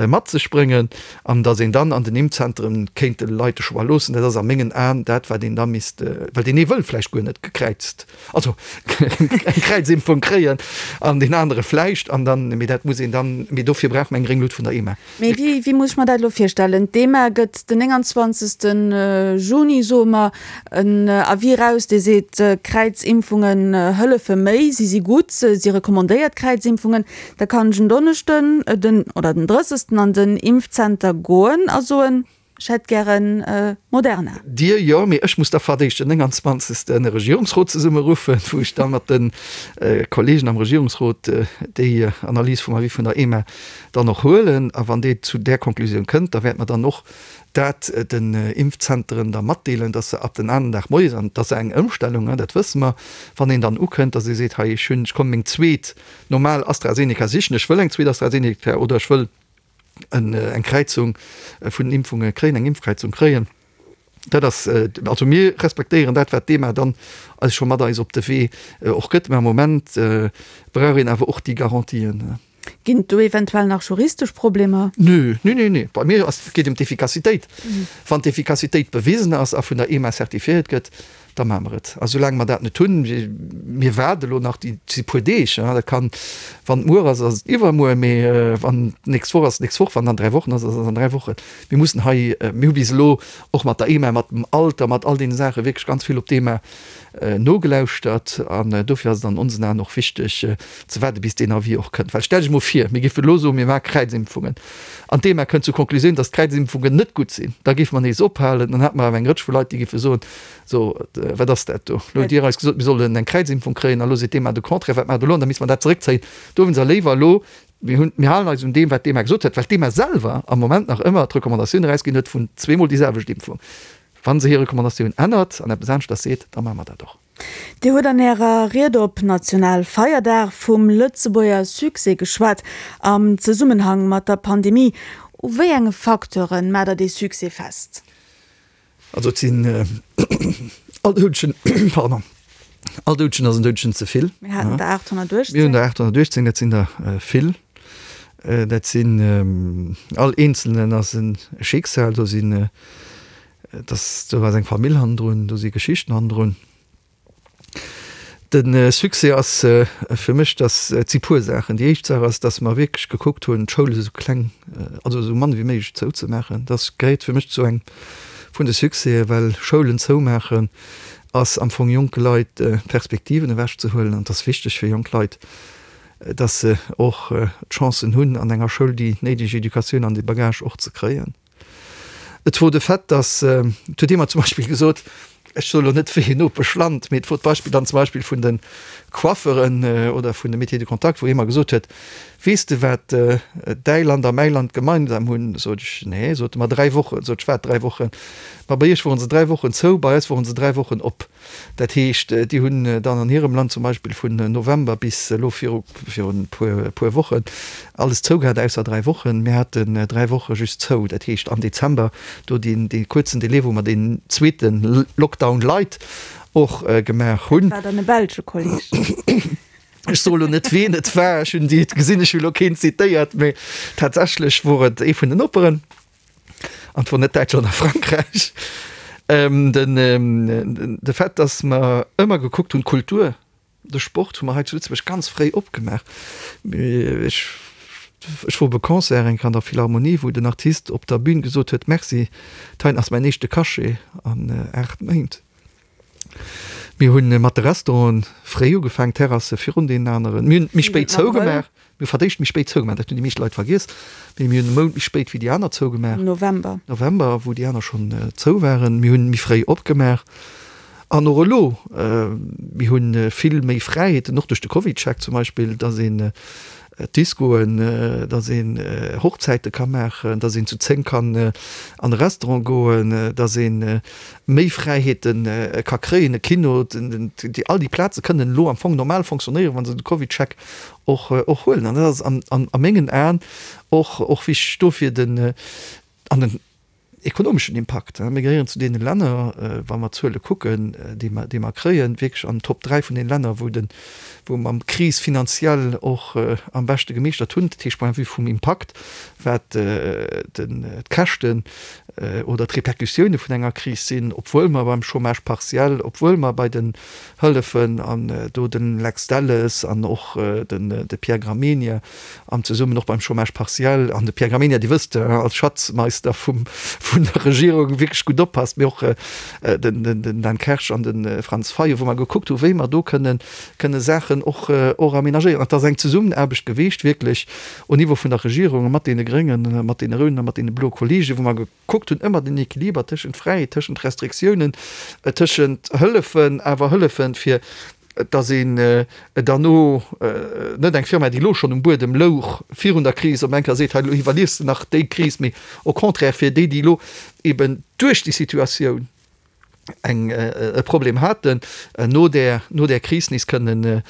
mat sech bréngen, an dass een dann an den Impfzentren kéint de Leit de Choix loossen. Dat ass a mengen Aen dat, wat een da misst, well deen ee wëll vläicht guer net gekräizt, also eng Kräizimpfung kréien an deen anere vläicht, an dann, mee dat muss een dann, mee dofir brauche mer eng gréng Lut vun der EMA. Mee wéi, wéi muss ech mer dat elo virstellen? D'EMA gëtt den nénganzwanzegsten Juni, soe mer, en Avis eraus, dee seet, Kräizimpfungen hëllefe méi, si si gutt, si recommandéiert Kräizimpfungen. Da kann ech en Donneschden den, oder den drëssegsten an den Impfzenter goen a soen, ech hätt gären Moderna. Dir jo, mee ech muss da fir d'éischt den nénganzwanzegsten e Regierungsrot zesummeruffen, wou ech da mat de Kollegen am Regierungsrot déi Analys vum Avis vun der EMA dann och huelen. A wann déi zu där Konklusioun kënnt, da wäerte mer dann och dat den Impfzenteren da matdeelen, dass se ab den aneren Dag moies, an et ass eng Ëmstellung, dat wësse mer, wann een dann ukënnt, dass ee seet, hei ech hunn, ech komme meng zweet normal AstraZeneca sichen, ech wëll eng zweet AstraZeneca oder ech wëll eng Kräizung vun den Impfunge kréien, eng Impfkräizung kréien. Dat ass, also mir respektéieren dat, wat d'EMA dann eis scho mat eis op de Wee och gëtt, mä am Moment brauch een awer och déi Garantien. Ginn et do eventuell nach juristesch Problemer? Nö, nö, nö, nö. Bei mir ass, et geet ëm d'Effikassitéit. Wann d'Effikassitéit bewisen ass a vun der EMA certifiéiert gëtt, da maache mer et. A soulaang mer dat net hunn, mir waarde elo nach déi puer Deeg, dat kann, wann et muer ass, ass et iwwermuer, mee wann et d'nächst Woch ass, d'nächst Woch, wann et an dräi Wochen ass, ass et an dräi Wochen. Mir mussen hei, mir hu bis elo och mat der EMA, mat dem Alter, mat all deene Saache wierklech ganz vill op d'EMA nogelauschtert an dofir ass et an onsen Aen och wichteg ze waarde bis deen Avis och kënnt. Well stellt Iech emol vir, mir géifen elo soen, mir maache Kräizimpfungen an d'EMA kënnt zur Konklusioun, datt d'Kräizimpfungen net gutt sinn, da géife mer nees ophalen, dann hätte mer awer eng Rëtsch vu Leit, déi géife soen, so wat ass dat do, elo hutt Dir eis gesot, mir sollen eng Kräizimpfung kréien a lo seet d'EMA de Contraire, wat maacht Der elo? An da misste mer dat zeréckzéien. Dowéinst léiwer elo, mir hunn, mir halen eis un deem wat d'EMA gesot huet, well d'EMA selwer am Moment nach ëmmer d'Recommandatioun erausginn huet vun zweemol déi selwecht Impfung. Wa se hir Recommandatioun ännert an eppes aneschters seet, da maache mer dat och. Dir hutt an Ärer Ried op Nationalfeierdag vum Lëtzebuerger Succès geschwat am Zesummenhang mat der Pandemie. U wéi enge Facteure maacht Der dee Succès fest? Also et sinn all Doudegen, pardon, all Doudegen ass en Doudegen ze vill. Mir haten der aathonnertuechtzéng. Mir hunn der aathonnertuechtzéng, dat sinn der vill. Dat sinn, all Eenzelnen ass e Schicksal, do sinn, dass do ass eng Famill hannendrun, do si Geschichten hannendrun. De Succès ass fir mech, dass, et si puer Saachen. Déi éischt Saach ass, dass mer wierklech gekuckt hunn, d'Schoule esou kleng, also esou mann wéi méiglech zouzemaachen. Dat gehéiert fir mech zu engem vun de Succèsen, well Schoulen zoumaachen ass am Fong jonke Leit d'Perspektiven ewechzehuelen. An et ass wichteg fir jonk Leit, dass se och d'Chancen hunn, an enger Schoul déi néideg Educatioun an dee Bagage och ze kréien. Et wor de Fait, dass, et huet ee mer zum Beispill gesot, ech soe lo net wéi een Nopeschland, mee et wor d'Beispill dann zum Beispill vun de Coifferen oder vun de Métiers de contact, wou ee mer gesot huet, Weess de wat däi Land a mäi Land gemeinsam hunn? Sot ech, Nee, sot e mer, dräi Wochen. Sot ech, Wat dräi Wochen? Ma bei iech woren se dräi Wochen zou, bei eis woren se dräi Wochen op. Dat heescht, déi hunn dann an hirem Land zum Beispill vun November bis elo viru virun e puer Wochen alles zou gehat, ausser dräi Wochen. Mir haten dräi Woche just zou, dat heescht am Dezember do deen dee kuerzen Delai, wou mer deen zweete Lockdown light och gemaach hunn. Dat war dann e belsche Kolleg. Ech soe lo net, ween et war, ech hunn déi gesinn, ech hu lo keen zitéiert, mee tatsächlech wor et ee vun den Noperen. An et wor net Däitschland a Frankräich. Den, de Fait, dass mer ëmmer gekuckt hunn, d'Kultur, de Sport hu mer hei zu Lëtzebuerg ganz fréi opgemaach. Ech, ech wor op e Concert eng Kéier an der Philharmonie, wou den Artist op der Bühn gesot huet, Merci, dat heiten ass mäin éischte Cachet an aacht Méint. Mir hu mat de Restauranten fréi ugefaangen, d'Terrasse virun deenen aneren. Mir hunn méi spéit zougemaach. Mir hu verdéischt méi spéit zougemaach, dat hunn déi meescht Leit vergiess, mee mir hunn e Mount méi spéit wéi déi aner zougemaach. November. November, wou déi aner schonn zou waren. Mir hunn méi fréi opgemaach. An och elo, mir hu vill méi Fräiheeten, och duerch de CovidCheck zum Beispill, dass een Discoen, dass een Hochzäite ka maachen, dass een zu zéng kann an e Restaurant goen, dass ee méi Fräiheete ka kréien, e Kino, all déi Plaze kënnen elo am Fong normal fonctionnéieren, wa se de CovidCheck och huelen. An dat ass a mengen Aen och wichteg dofir den, an den Ekonomeschen Impakt, Mir gehéieren zu deene Länner, wa mer d'Zuele kucken, déi mer, déi mer kréien, wierklech an den Top dräi vun den Länner, wou de, wou mer d'Kris finanziell och am beschte gemeeschtert hunn. Dat heescht, point de vue vum Impakt, wat den, d'Käschten oder d'Repercussioune vun enger Kris sinn, obwuel mer beim Chômage partiel, obwuel mer bei den Hëllefen, an do de Lex Delles an och den, de Pierre Gramegna am zesummen och beim Chômage partiel, an de Pierre Gramegna, Dir wësst, als Schatzmeister vum, vun der Regierung wierklech gutt oppasst, mee och den Dan Kersch an de Franz Fayot, wou mer gekuckt hu wéi mer do kënnen kënne Saachen och och aménagéieren. An et ass eng Zesummenaarbecht geweecht wierklech au Niveau vun der Regierung mat deene Gréngen, mat deene Rouden a mat deene bloe Kollegen, wou mer gekuckt hunn ëmmer den Equiliber tëschent Fräiheet, tëschent Restriktiounen, tëschent Hëllefen, awer Hëllefen fir dass een derno net eng Firma, déi elo schonn um Buedem louch virun der Kris, op eng Kéier seet, hei elo iwwerliefs de nach déi Kris, mee au contraire fir déi, déi elo eben duerch déi Situatioun eng e Problem haten, no där no där Kris nees kënnen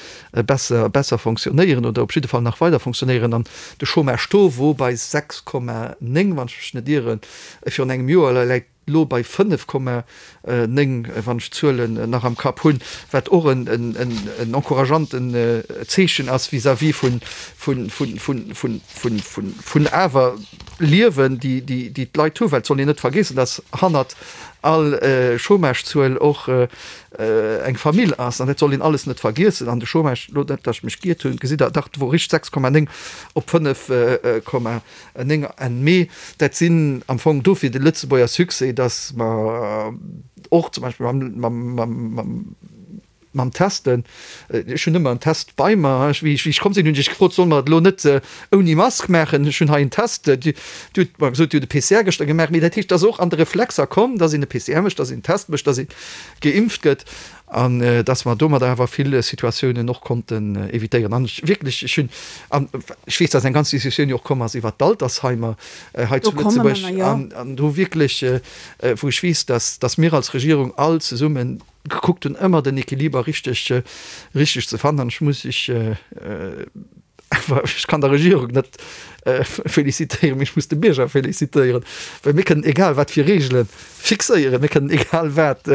besser besser fonctionnéieren oder op jidde Fall nach weider fonctionnéieren. An de Chômage-Taux wor bei sechs Komma néng, wann ech mech net ieren, virun engem Joer, läit elo bei fënnef Komma néng, wann ech d'Zuelen nach am Kapp hunn, wat och en encourageanten Zeechen ass vis-à-vis vun awer Liewen, déi d'Leit hunn. Well et soll een net vergeessen, dass hannert all Chômagezuel och eng Famill ass. An dat soll een alles net vergiessen. An de Chômage, elo net, datt ech mech giert hunn, gesitt Der, dach, wor richteg, sechs Komma néng op fënnef Komma néng Enn Mee. Dat sinn am Fong dofir de Lëtzebuerger Succès, datt mer och zum Beispill mam, mam, mam, mam Testen, ech hunn ëmmer en Test bei mer, wéi ech, wéi ech komm sinn, hunn ech gefrot, solle mer et elo net ouni Mask maachen, ech hunn hei en Test, Dir hutt mer gesot, Dir hutt e P C R gëschter gemaach, mee dat heescht, et ass och an de Reflexer komm, dass een e P C R mécht, dass een en Test mécht, dass ee geimpft gëtt an dass mer domadder awer vill Situatiounen och konnten évitéieren. An ech wierklech, ech hunn, an ech weess, dass eng ganz Diskussioun jo och komm ass iwwert d'Altersheimer hei zu Lëtzebuerg, an do wierklech, wou ech weess, dass, dass mir als Regierung all zesummen gekuckt hunn, ëmmer den Equiliber richteg, richteg ze fannen. An ech muss ech awer, ech kann der Regierung net félicitéieren, mee ech muss de Bierger félicitéieren, well mir kënnen egal wat fir Regele fixéieren, mir kënnen egal wat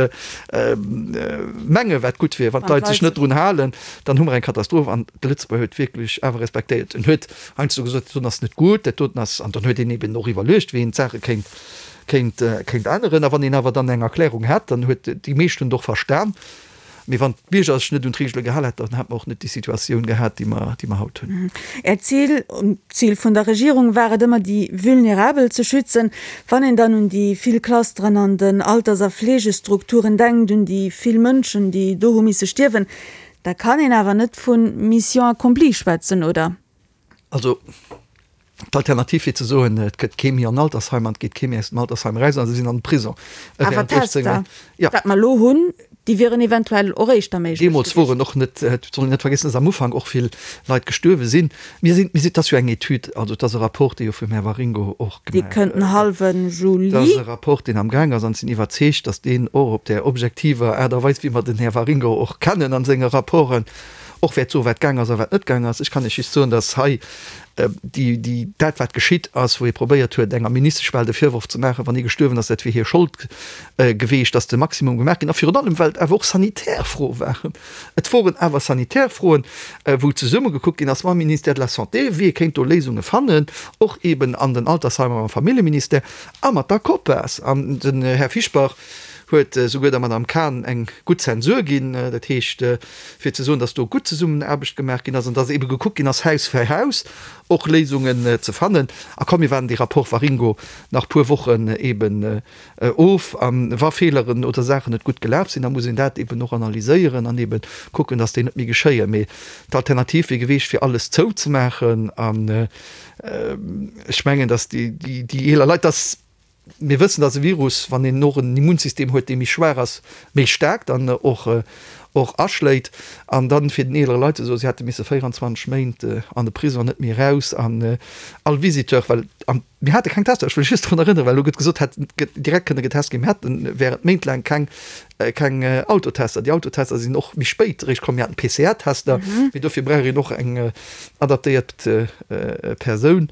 menge wat gutt wier, wann d'Leit sech net drun halen, dann hu mer eng Katastroph. An de Lëtzebuerger huet wierklech awer respektéiert. En huet heiansdo gesot, dat doten ass net gutt, dat doten ass, an dann huet een eben och iwwerluecht, wéi een d'Saache kéint kéint kéint änneren. A wann een awer dann eng Erklärung hätt, dann huet déi meescht hunn et och verstan. Mee wann d'Bierger sech net un d'Regele gehal hätten, dann hätt mer och net déi Situatioun gehat, déi mer déi mer haut hunn. Äert Zil, d'Zil vun der Regierung war et ëmmer, déi Vulnerabel ze schützen. Wann een dann un déi vill Clusteren an den Alters a Fleegestrukturen denkt, un déi vill Mënschen, déi do hu misse stierwen, da kann een awer net vu Mission accomplie schwätzen, oder? Also d'Alternativ wier ze soen, et gëtt kee méi an Altersheim an et geet kee méi aus dem Altersheim eraus an se sinn an de Prison. Awer d'Tester, wat mer elo hunn, déi wieren eventuell och éischter méiglech gewiescht. Deemools woren och net, et soll een net vergiessen, datt am Ufank och vill Leit gestuerwe sinn. Mir sinn, mir sinn, et ass jo eng Etüd, also et ass e Rapport, dee jo vum Här Waringo och gemaach. Dee kënnt den hallwe Juli. Et ass e Rapport, deen amgaang ass an ech sinn iwwerzeegt, datt deen och op där objektiver Aart a Weis, wéi mer den Här Waringo och kennen a senge Rapporten, och wäert soen, wat gaang ass a wat net gaang ass. Ech kann Iech just soen, datt hei déi, déi, dat wat geschitt ass, wou ee probéiert huet, enger Ministesch bal de Virworf ze maachen, wann ee gestuerwen ass, dat wier hir Schold geweecht, datt de Maximum gemaach ginn. A virun allem, well et awer och sanitär Froe waren. Et woren awer sanitär Froen, wou zesumme gekuckt ginn ass mam Ministère de la Santé, wéi ee kéint do Léisunge fannen, och eeben an den Altersheimer mam Familljeministère a mat der COPAS. An den Här Fischbach huet souguer der Madame Cahen eng gutt Zensur ginn, dat heescht, fir ze soen, datt do gutt Zesummenaarbecht gemaach ginn ass an datt ebe gekuckt ginn ass, Haus fir Haus och Léisungen ze fannen. A komm, mir waarden dee Rapport Waringo nach puer Wochen eben of. A wa Feeleren oder Saachen net gutt gelaf sinn, da muss een dat eben och analyséieren an ebe kucken, datt déi net méi geschéien. Mee d'Alternativ wier geweecht, fir alles zouzemaachen. An ech mengen, datt déi eeler Leit, datt Mir wëssen, dass e Virus, wann een och en Immunsystem huet, dee méi schwaach ass, méi staark dann och och aschléit. An dann fir den eelere Leit ze soen, si hätte misse véieranzwanzeg Méint an de Prison, net méi eraus an all Visiteur, well an mir hate keng Tester, ech wëll just drun erënneren, well elo gëtt gesot, hätt direkt kënne getest ginn, mir haten während Méint laang keng keng Autotester. Déi Autotester sinn och méi spéit eréischt komm. Mir haten P C R-Tester, mee dofir brauch een och eng adaptéiert Persoun.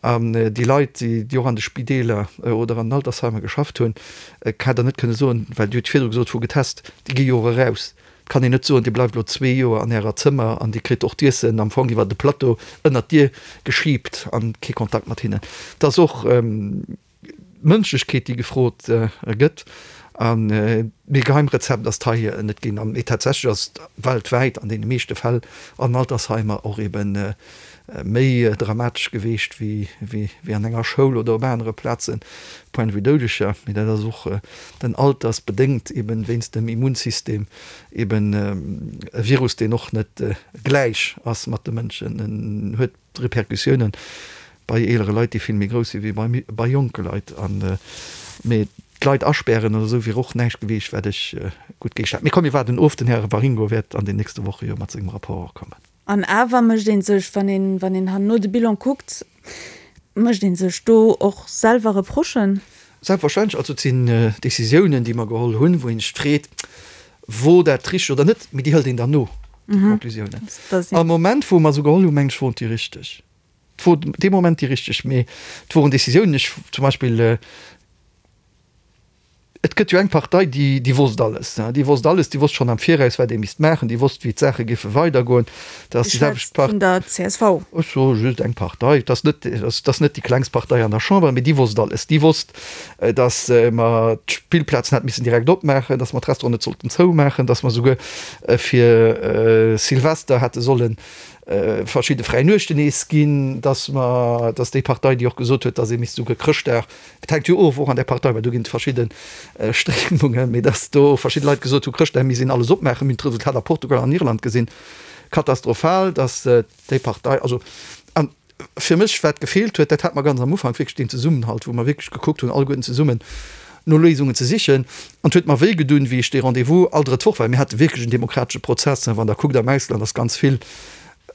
An déi Leit, déi och an de Spideeler oder an den Altersheimer geschafft hunn, hätt Der net kënne soen, well Dir hutt virdru gesot, vu getest, déi gi jo och eraus. Et kann een net soen, Dir bleift elo zwee Joer an Ärer Zëmmer an Dir kritt och d'Iessen am Fong iwwer de Plateau ënnert d'Dier geschiibt an kee Kontakt mat hinnen. Et ass och Mënschlechkeet, déi gefrot gëtt. A mee Geheimrezept ass et hei net ginn. Mee tatsächlech ass et weltwäit an deene meeschte Fäll an Altersheimer och ebe méi dramatesch geweecht wéi an enger Schoul oder op anere Plazen, point de vue Doudeger. Mee dat ass och den altersbedéngt, eben wéinst dem Immunsystem, eben e Virus, deen och net gläich ass mat de Mënschen. En huet Repercussiounen bei eelere Leit, déi vill méi grouss si wéi bei jonke Leit. Mee d'Leit aspären oder esou wier och näischt geweecht, wat ech gutt géich. Mee komm, mir waarden of, den Här Waringo wäert an den nächste Woche jo mat sengem Rapport och kommen. An awer mécht ee sech, wann een, wann een herno de Bilan kuckt, mécht ee sech do och selwer Reprochen? Selbstverständlech. Also et sinn Décisiounen, déi mer geholl hunn, wou een sech freet, Wor dat richteg oder net? Mee déi hëlt een dann no, déi Conclusiounen. Am Moment, wou mer se geholl hunn, meng ech, woren déi richteg. Et wor dee Moment déi richteg, mee et woren Décisiounen, ech zum Beispill, Et gëtt jo eng Partei, déi, déi wosst alles, déi wosst alles, déi wosst schonn am Viraus, wat ee misst maachen, déi wosst, wéi d'Saache géife weidergoen. Dat ass déi selwecht Part. Vun der C S V. Ech soe just eng Partei. Et ass net, et ass net déi klengst Partei an der Chamber, mee déi wosst alles. Déi wosst, datt mer d'Spillplazen hätte missen direkt opmaachen, datt mer d'Restauranten net sollten zoumaachen, datt mer souguer fir Silvester hätte solle verschidde fräi Nuechten nees ginn, datt mer, datt déi Partei, déi och gesot huet, datt ee misst souguer Chrëschtdag, et hänkt jo of och an där Partei, well do ginn et verschidde Stréimungen, mee datt do verschidde Leit gesot hu Chrëschtdag misst een alles opmaachen. Mir hunn d'Resultat a Portugal an Irland gesinn, katastrophal, datt déi Partei, also an fir mech wat gefeelt huet, dat hat mer ganz am Ufank wierklech deen Zesummenhalt, wou mer wierklech gekuckt hunn alleguerten zesummen no Léisungen ze sichen. An et huet mer wéi gedun, wéi ech dee Rendez-vous all drëtt Woch, well mir hate wierklech en demokratesche Prozess, wann Der kuckt am Ausland ass ganz vill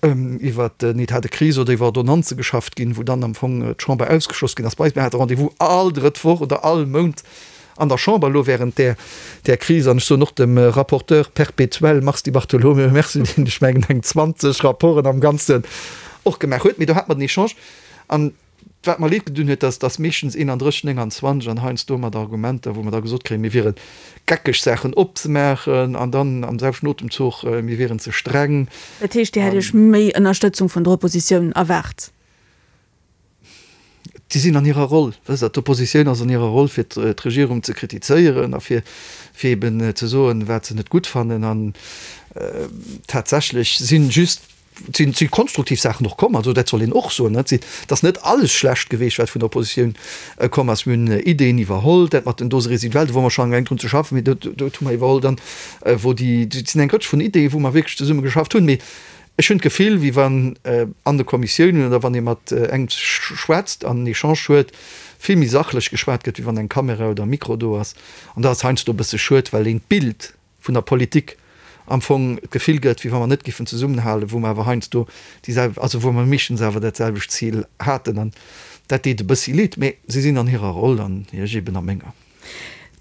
iwwer den État de crise oder iwwer Ordonnanze geschafft ginn, wou dann am Fong d'Chamber ausgeschloss ginn ass. Bei eis, mir hate Rendez-vous all drëtt Woch oder all Mount an der Chamber elo während där, där Kris. An ech soen och dem Rapporteur perpétuel Mars Di Bartolomeo Merci, deen, ech mengen, eng zwanzeg Rapporten am Ganzen och gemaach huet. Mee do hat mer den Echange. An wat mer leed gedun huet, dass dass meeschtens eenandrësseg, nénganzwanzeg an heiansdo mat Argumenter, wou mer da gesot kréien, mir wiere geckeg, Saachen opzemaachen, an dann am selwechten Otemzuch, mir wieren ze streng. Dat heescht, Dir hätt Iech méi Ënnerstëtzung vun der Oppositioun erwaart? Déi sinn an hirer Roll, wësst Der. D'Oppositioun ass an hirer Roll, fir d'Regierung ze kritizéieren a fir fir eben ze soen, wat se net gutt fannen. An tatsächlech si just Et si konstruktiv Saachen och komm, also dat soll een och soen. Et ass net alles schlecht geweecht, wat vun der Oppositioun komm ass. Mir hunn Ideeën iwwerholl, dat mat den Doses résiduelles, do wore mer schonn amgaang drun ze schaffen, mee dat hu mer iwwerholl dann, wou déi, et sinn eng Rëtsch vun Ideeën, wou mer wierklech zesumme geschafft hunn. Mee ech hunn d'Gefill, wéi wann an de Kommissiounen oder wann ee mat engem schwätzt an en Echange huet, vill méi sachlech geschwat gëtt, wéi wann eng Kamera oder e Mikro do ass. An dat ass heiansdo e bësse schued, well een d'Bild vun der Politik am Fong d'Gefill gëtt, wéi wa mer net giffen zesummenhalen, wou mer awer heiansdo déi selw-, also wou mer meeschtens awer dat selwecht Zil haten. An dat deet e bëssi leed, mä si sinn an hirer Roll an ech eben a menger.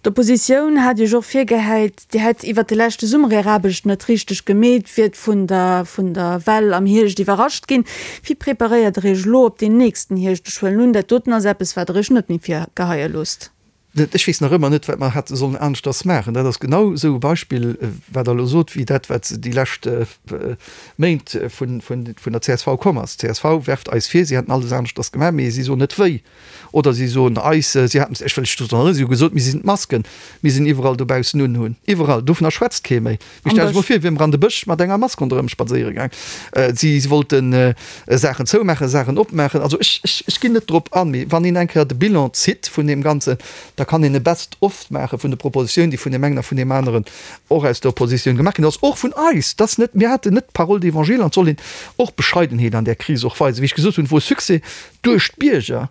D'Oppositioun hat Iech och virgehäit, Dir hätt iwwert de leschte Summer Är Aarbecht net richteg gemeet, wiert vun der vun der Well am Hierscht iwwerrascht ginn. Wéi preparéiert Der Iech elo op deen nächsten Hierscht? Ech huelen un, dat doten ass eppes, wat Der Iech net méi virgeheie loosst. Ech weess nach ëmmer net, wat mer hätte sollen aneschters maachen. Dat ass genau esou e Beispill, wat Der elo sot, wéi dat, wat déi lescht Méint vun der C S V komm ass. D'C S V werft eis vir, si hätten alles aneschters gemaach, mee si soen net wéi. Oder si soen eis, si hätten, ech wëll lech drun erënneren, si hu gesot, mir sinn d'Masken, mir sinn iwwerall dobaussen unhunn. Iwwerall. Dovunner schwätzt kee méi. Mee stellt lech emol vir, wier mer an de Bësch mat enger Mask ronderëm spadséiere gaang. Si wollten Saachen zoumaachen, Saachen opmaachen. Also ech, ech, ech ginn net drop an, mee wann een eng Kéier de Bilan zitt vun deem Ganzen, da kann een e Best of maache vun de Propositionen, déi vun deem engen a vun deem aneren och aus der Oppositioun gemaach ginn ass, och vun eis. Dat ass net, mir haten net d'Parole d'évangile an et soll een och Bescheidenheet an där Kris och weisen. Wéi ech gesot hunn, wor Succès duerch d'Bierger.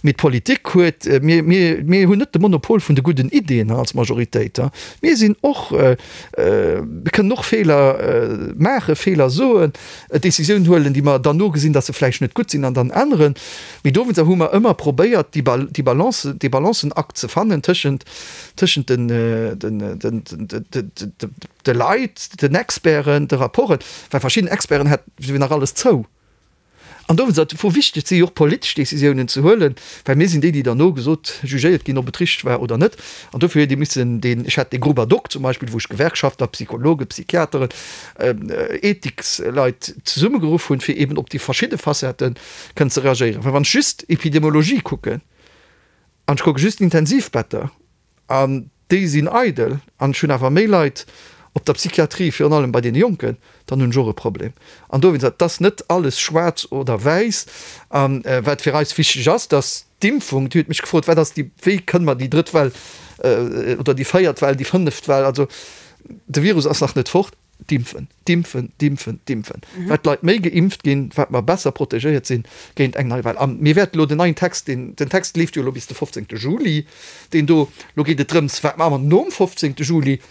Mee d'Politik huet, mir, mir, mir hunn net de Monopol vun de gudden Ideeën als Majoritéit. Mir sinn och, mir kënnen och Feeler maachen, Feeler soen, Décisiounen huelen, déi mer dann no gesinn, datt se vläicht net gutt sinn an dann änneren. Mee dowéinster hu mer ëmmer probéiert, déi déi Balance, dee Balancenakt ze fannen tëschent, tëschent den, den, den, den, de Leit, den Experten, de Rapporten, well verschidden Experten hätt, wier nach alles zou. An dowéinst ass et vu wichteg, si och politesch Décisiounen ze huelen, well mir sinn déi, déi derno gesot, jugéiert ginn, ob et richteg war oder net. An dofir huet ee missen deen, ech hat dee Groupe ad hoc zum Beispill, wou ech Gewerkschaftler, Psychologen, Psychiateren, Ethiksleit zesummegeruff hunn, fir eeben op déi verschidde Facettë kënnen ze reagéieren. Well wann ech just Epidemiologie kucken an ech kucke just d'Intensivbetter an déi sinn eidel an ech hunn awer méi Leit op der Psychiatrie, virun allem bei deene Jonken, dann hunn ech och e Problem. An dowéinst, et ass net alles schwaarz oder wäiss. A wat fir eis wichteg ass, dass d'Impfung, Dir hutt mech gefrot, wat ass déi, wéi kënne mer déi drëtt Well oder déi véiert Well, déi fënneft Well, also de Virus ass nach net fort, D'impfen, d'impfen, d'impfen, d'impfen. Wat d'Leit méi geimpft ginn, wat mer besser protegéiert sinn géint eng nei Well. A mir wäerten elo den neien Text, deen, den Text leeft jo elo bis de fofzéngte Juli, deen do, elo geet et drëms, wat maache mer nom fofzéngte Juli?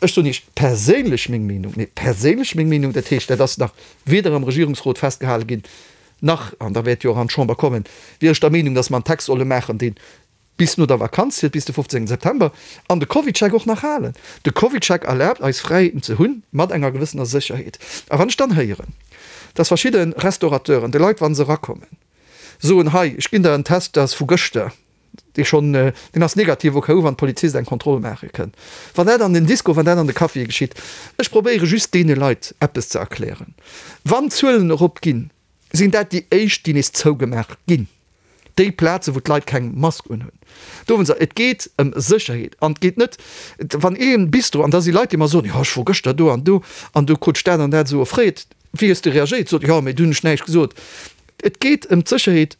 Ech soen Iech perséinlech meng Meenung, mee perséinlech meng Meenung, dat heescht, dat ass nach weder am Regierungsrot festgehale ginn, nach, an da wäert jo och an d'Chamber kommen, wier ech der Meenung, datt mer en Text solle maachen, dee bis no der Vakanz zielt, bis de fofzéngten September, an de CovidCheck och nach halen. De CovidCheck erlaabt eis Fräiheeten ze hunn, mat enger gewëssener Sécherheet. A wann ech dann héieren, dass verschidde Restaurateuren de Leit, wa se erakommen, soen, hei, ech ginn der en Test, dat ass vu gëschter, Dee schonn, deen ass negativ au cas où, wann d'Polizist eng Kontroll maache kënn. Wann dat an den Disco, wann dat an de Caféë geschitt. Ech probéiere just deene Leit eppes ze erklären. Wann d'Zuelen eropginn, sinn dat déi éischt, déi nees zougemaach ginn. Déi Plazen, wou d'Leit keng Mask unhunn. Dowéinster, et geet ëm Sécherheet an et geet net, wann ee Bistro, an da si Leit, déi mer soen, jo ech wor gëschter do an do an do krut ech dat an dat esou offréiert, wéi hues de reagéiert? Sot, jo mee du hunn ech näischt gesot. Et geet ëm d'Sécherheet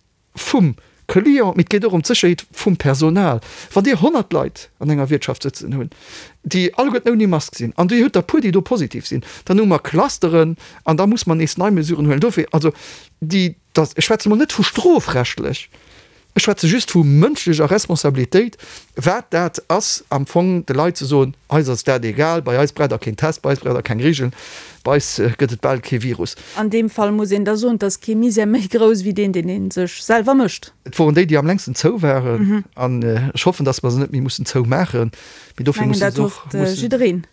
vum Client, mee et geet och ëm d'Sécherheet vum Personal. Wann Dir honnert Leit an enger Wiertschaft sëtzen hunn, déi alleguerten ouni Mask sinn, an Dir hutt der puer, déi do positiv sinn, dann hu mer Clusteren an da muss mer nees nei Mesuren huelen. Dofir, also déi, dass, ech schwätze mol net vu strofrechtlech, ech schwätze just vu mënschlecher Responsabilitéit, wat dat ass am Fong de Leit ze soen, eis ass dat egal, bei eis braucht Der keen Test, bei eis braucht Der keng Regeln, bei eis gëtt et bal kee Virus. An deem Fall muss een da soen, et ass kee Misär méi grouss wéi deen, deen ee sech selwer mécht. Et woren déi, déi am längsten zou waren. An ech hoffen, dass mer se net méi mussen zoumaachen. Mee dofir Mengen, musse dat se och, hofft mussen. jiddereen.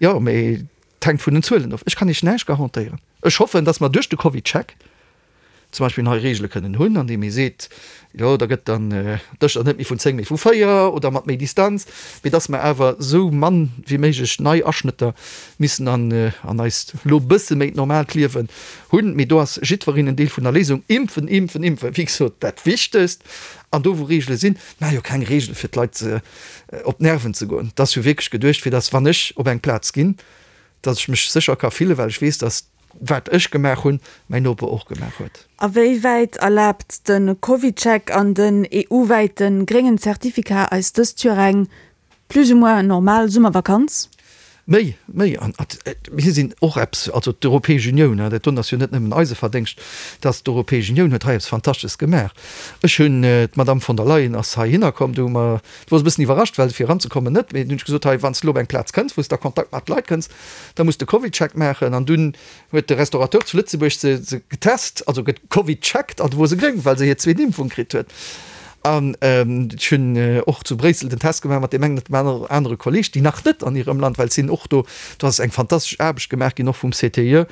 Jo, mee et hänkt vun den Zuelen of. Ech kann Iech näischt garantéieren. Ech hoffen, dass mer duerch de CovidCheck zum Beispill nei Regele kënnen hunn, an deem ee seet, jo da gëtt dann Dëscher net méi vun zéng, mee vu véier oder mat méi Distanz, mee dass mer awer esou mann wéi méiglech nei Aschnëtter missen an an eist elo bësse méi normaalt Liewen hunn. Mee do ass jiddwereen en Deel vun der Léisung. Impfen, impfen, impfen, wéi gesot, dat Wichtegst. An do wou Regele sinn, maache jo keng Regele fir d'Leit op d'Nerven ze goen. Et ass jo wierklech geduecht, fir dass wann ech op eng Plaz ginn, dass ech mech sécher ka fillen, well ech weess, dass wat ech gemaach hunn, mäin Noper och gemaach huet. A wéi wäit erlaabt de CovidCheck an den E U-wäite gréngen Zertifikat eis dëst Joer eng plus ou moins normal Summervakanz? Méi, méi. An mir sinn och eppes, also d'Europäesch Unioun, dat doen ass jo net nëmmen eise Verdéngscht, dass d'Europäesch Unioun huet hei eppes Fantastesches gemaach. Ech hunn, d'Madame von der Leyen ass heihinner komm, do hu mer, do wor se e bëssen iwwerrascht, well fir eranzekommen net, mee dunn hunn ech gesot, hei, wann s de elo op eng Plaz kënns, wou s de a Kontakt mat Leit kënns, da muss de CovidCheck maachen. An dunn huet de Restaurateur zu Lëtzebuerg se se getest, also gecovidcheckt, an du wor se gréng, well se hir zweet Impfung kritt huet. An ech hunn och zu Bréissel den Test gemaach mat deem engen oder deem anere Kolleeg, déi nach net an hirem Land, well et sinn och do, do ass eng fantastesch Aarbecht gemaach ginn, och vum C T I E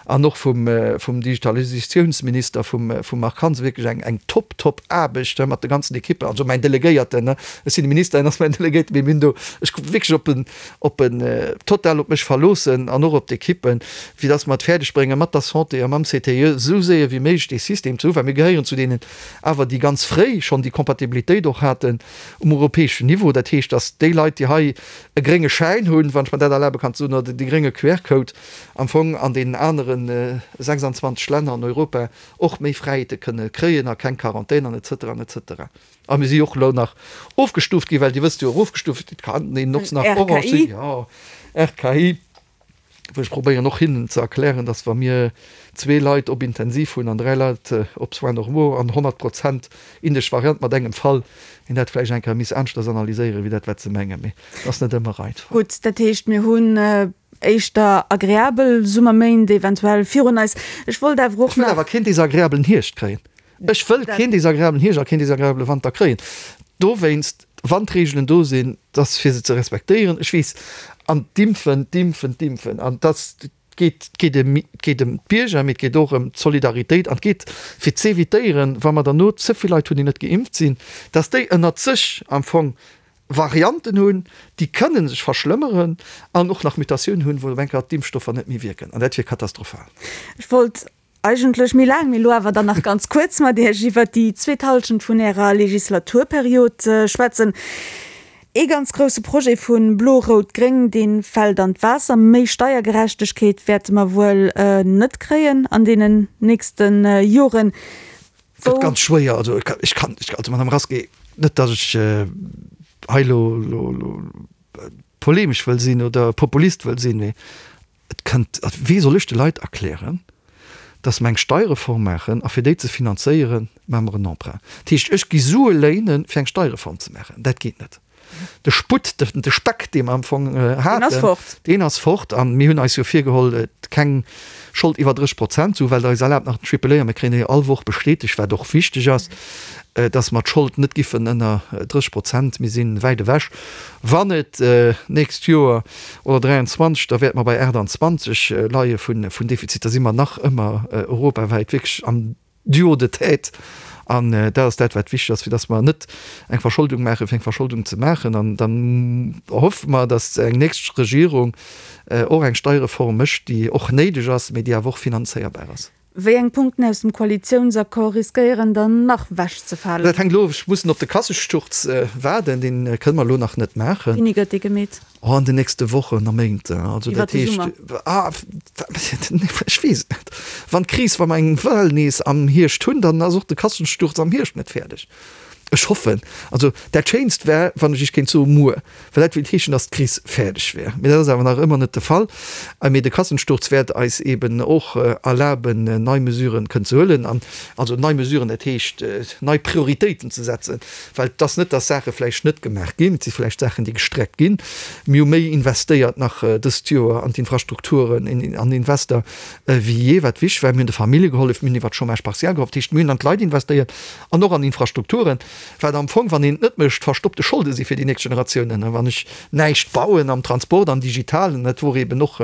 an och vum vum Digitalisatiounsminister, vum vum Marc Hansen, wierklech eng eng top, top Aarbecht mat de ganzen Ekippen, also mäin Delegéierten, ech sinn de Minister, hien ass mäin Delegéierten, mee mir hunn do, ech wierklech op en op en total op mech verloossen an och op d'Ekippen, fir dass mer et fäerdeg bréngen, mat der Santé a mam C T I E esou séier wéi méiglech dee System ze hu, well mir gehéieren zu deenen awer, déi ganz fréi schonn déi Kompatibilitéit och haten um europäeschen Niveau. Dat heescht, dass déi Leit, déi hei e grénge Schäin hunn, wann ech mer dat erlabe kann ze soen, oder dee grénge Q R-Code, am Fong an deenen anere sechsandzwanzeg Länner an Europa och méi Fräiheete kënne kréien a keng Quarantän an et cetera an et cetera. A mir si jo och elo nach ofgestuuft ginn, well Dir wësst jo, erofgestuuft, et kann een och nach orange sinn, jo, R K I, wou ech probéieren och hinnen ze erklären, dass wa mir zwee Leit op Intensiv hunn an dräi Leit op Soins normaux an honnert Prozent indesch Variant mat engem Fall, een dat vläicht eng Kéier misst aneschters analyséieren, wéi dat wat se mengen. Mee et ass net ëmmer einfach. Gutt, dat heescht, mir hunn éischter agreabel Summerméint eventuell virun eis. Ech wollt awer och Ech wëll nach. awer keen desagreabelen Hierscht kréien. Ech wëll keen desagreabelen Hierscht a keen desagreabele Wanter kréien. Dowéinst, wann d'Reegelen do sinn, dass fir se ze respektéieren. Ech weess, an d'Impfen, d'Impfen, d'Impfen, an dass geet, et geet ëm, et geet ëm d'Bierger, mee et geet och ëm d'Solidaritéit an et geet fir z'evitéieren, wa mer derno ze vill Leit hunn, déi net geimpft sinn, dass déi ënnert sech am Fong Varianten hunn, déi kënne sech verschlëmmeren an och nach Mutatiounen hunn, wou op eng Kéier d'Impfstoffer net méi wierken. An dat wier katastrophal. Ech wollt eigentlech méi laang, mee elo awer dann nach ganz kuerz mat Iech iwwert déi zweet Hallschent vun Ärer Legislaturperiod schwätzen. Ee ganz grousse Projet vu Blo-Rout-Gréng, dee fält an d'Waasser. Méi Steiergerechtegkeet wäerte mer wuel net kréien an deenen nächste Joren. Gëtt ganz schwéier. Also ech kann, also Madame Rasqué, net datt ech hei elo polemesch wëll sinn oder Populist wëll sinn, mee et kënnt, wéi soll ech de Leit erklären, datt mer eng Steierreform maachen a fir déi ze finanzéieren, maache mer en Emprunt. Dat heescht, ech gi Sue léinen, fir eng Steierreform ze maachen. Dat geet net. De Sputt, de Speck, dee mer am Fong haten, deen ass fort. A mir hunn eis jo virgeholl, keng Schold iwwer dréisseg Prozent ze hu, well eis erlaabt nach den Triple A, a mir kréien jo all Woch bestätegt, wat och wichteg ass, dass mer d'Schold net giffen ënner dréisseg Prozent, mir si wäit ewech, wann et d'nächst Joer oder dräianzwanzeg, da wäerte mer bei aachtanzwanzeg leie vun Defizit, da si mer nach ëmmer europawäit wierklech am Duo de tête An dat ass dat, wat wichteg ass, fir dass mer net eng Verscholdung maachen, fir eng Verscholdung ze maachen. An dann hoffe mer, dass eng nächst Regierung och eng Steierreform mécht, déi och néideg ass, mee déi awer och finanzéierbar ass. Wéi eng Punkten aus dem Koalitiounsaccord riskéieren dann nach ewechzefalen? Dat hänkt elo, ech mussen op de Kassesturz waarden, dee kënne mer elo nach net maachen. Wéini gëtt dee gemeet? Oh, an den nächste Wochen a Méint. Also Iwwer dat de heescht, Summer? ah, ech weess et net. Wann d'Kris, wa mer eng Well nees am Hierscht hunn, dann ass och de Kassensturz am Hierscht net fäerdeg. Ech hoffen, also dat Schéinst wär, wann ech Iech kéint soe muer, well dat wéilt heeschen, datt d'Kris fäerdeg wär. Mee dat ass awer nach ëmmer net de Fall. Mee de Kassensturz wäert eis eeben och erlaben, nei Mesuren kënnen ze huelen. An also nei Mesuren, dat heescht nei Prioritéiten ze setzen, well et ass net, datt Saache vläicht net gemaach ginn, et si vläicht Saachen, déi gestreckt ginn. Mir hu méi investéiert nach dëst Joer an d'Infrastrukturen, an Invester wéi jee, wat wichteg war. Mir hunn de Famillje gehollef, mir hunn iwwert Chômage partiel gehollef. Dat heescht, mir hunn an d'Leit investéiert an och an Infrastrukturen. Wat am Fong, wann een et net mécht, verstoppte Scholde si fir déi nächst Generatiounen. Wann ech näischt bauen am Transport, am Digitalen, dat wor eben och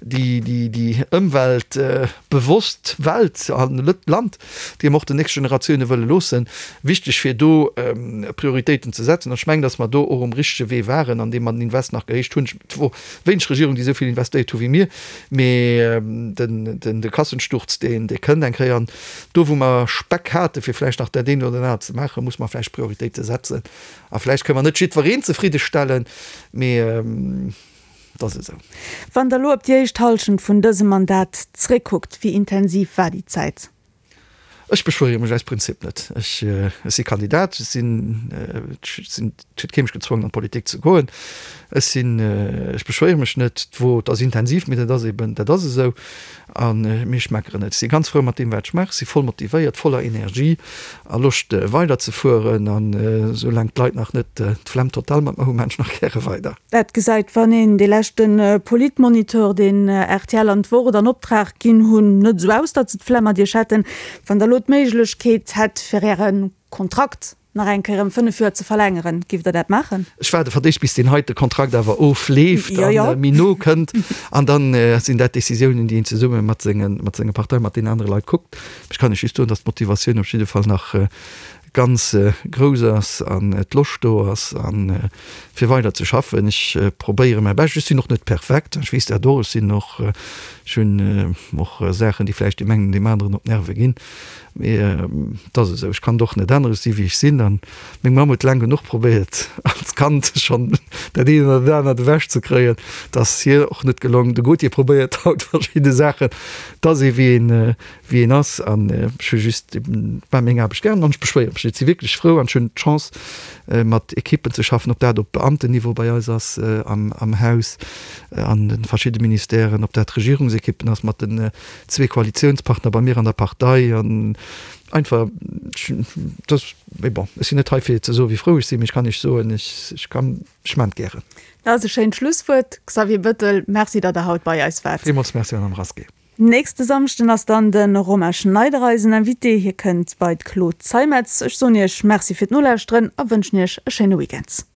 déi, déi, déi ëmweltbewosst Welt a Land, déi mer och den nächste Generatioune wëlle loossen, wichteg fir do Prioritéiten ze setzen. An ech mengen, datt mer do och um richtege Wee waren, andeem mer den Invest nach gehéicht hunn. Et wor wéineg Regierungen, déi esou vill investéiert hu wéi mir, mee den, den, de Kassensturz, deen, dee kënnt eng Kéier. An do, wou mer Speck hate fir vläicht nach dat eent oder dat anert ze maachen, muss mer vläicht Prioritéite setzen. A vläicht kënne mer net jiddwereen zefridde stellen, mee et ass esou. Wann Der elo op déi éischt Hallschent vun dësem Mandat zréckkuckt, wéi intensiv war déi Zäit? Ech beschwéiere mech aus Prinzip net. Ech si Kandidat, ech sinn, ech sinn, et huet kee mech gezwongen an d'Politik ze goen. Ech sinn, ech beschwéiere mech net. D'Wo, et ass intensiv, mee dat ass eben, dat ass esou. A mee ech meckeren net. Ech si ganz frou mat deem wat ech maachen. Ech si voll motivéiert, voller Energie a Loscht weider ze fueren. An esou laang d'Leit nach net d'Flemm total mat mer hu, maan ech nach gäre weider. Dat gesäit, wann een dee leschte Politmoniteur, deen rtl an d'Wort an Optrag ginn hunn, net esou aus, datt se d'Flemm mat Iech hätten. Wann Der elo d'Méiglechkeet hätt, fir Äre Kontrakt nach eng Kéier ëm fënnef Joer ze verlängeren, giff Der dat maachen? Ech waarde fir d'éischt, bis deen heite Kontrakt awer ofleeft a méi no kënnt. An da sinn dat Décisiounen, déi een zesumme mat senge, mat senger Partei, mat deenen anere Leit kuckt. Ech kann lech just soen, datt d'Motivatioun op jidde Fall nach ganz grouss ass an d'Loscht do ass a fir weider ze schaffen. Ech probéiere mäi Bescht. Ech sinn och net perfekt, ech weess dat och. Ech sinn och, ech hunn och Saachen, déi vläicht deem engen oder deem aneren op d'Nerve ginn. Mee et ass esou, ech kann et och net änneren. Ech si wéi ech sinn a meng Mamm huet laang genuch probéiert als Kand schonn dat eent oder dat anert ewech ze kréien. Et ass hir och net gelongen. De Gauthier probéiert haut verschidde Saachen. Et ass ee wéi een wéi een ass an ech hu just maache meng Aarbecht gären an ech beschwéiere mech net. Ech si wierklech frou an ech hunn d'Chance mat Ekippen ze schaffen, ob dat op Beamtenniveau bei eis ass am am Haus, an de verschidde Ministèren, ob dat Regierungsekippen ass mat den zwee Koalitiounspartner bei mir an der Partei an einfach dat mee bon, ech sinn net hei fir ze soen, wéi frou ech sinn, mee ech kann Iech soen, ech ech kann ech maachen et gären. Dat ass e schéint Schlusswuert. Xavier Bettel, Merci, datt Der haut bei eis waart. Villmools Merci, Madame Rasqué. Nächste Samschden ass dann de Romain Schneider eisen Invité. Hie kënnt bei d'Claude Zeimetz. Ech soen Iech Merci fir d'Nolauschteren a wënschen Iech e schéine Weekend.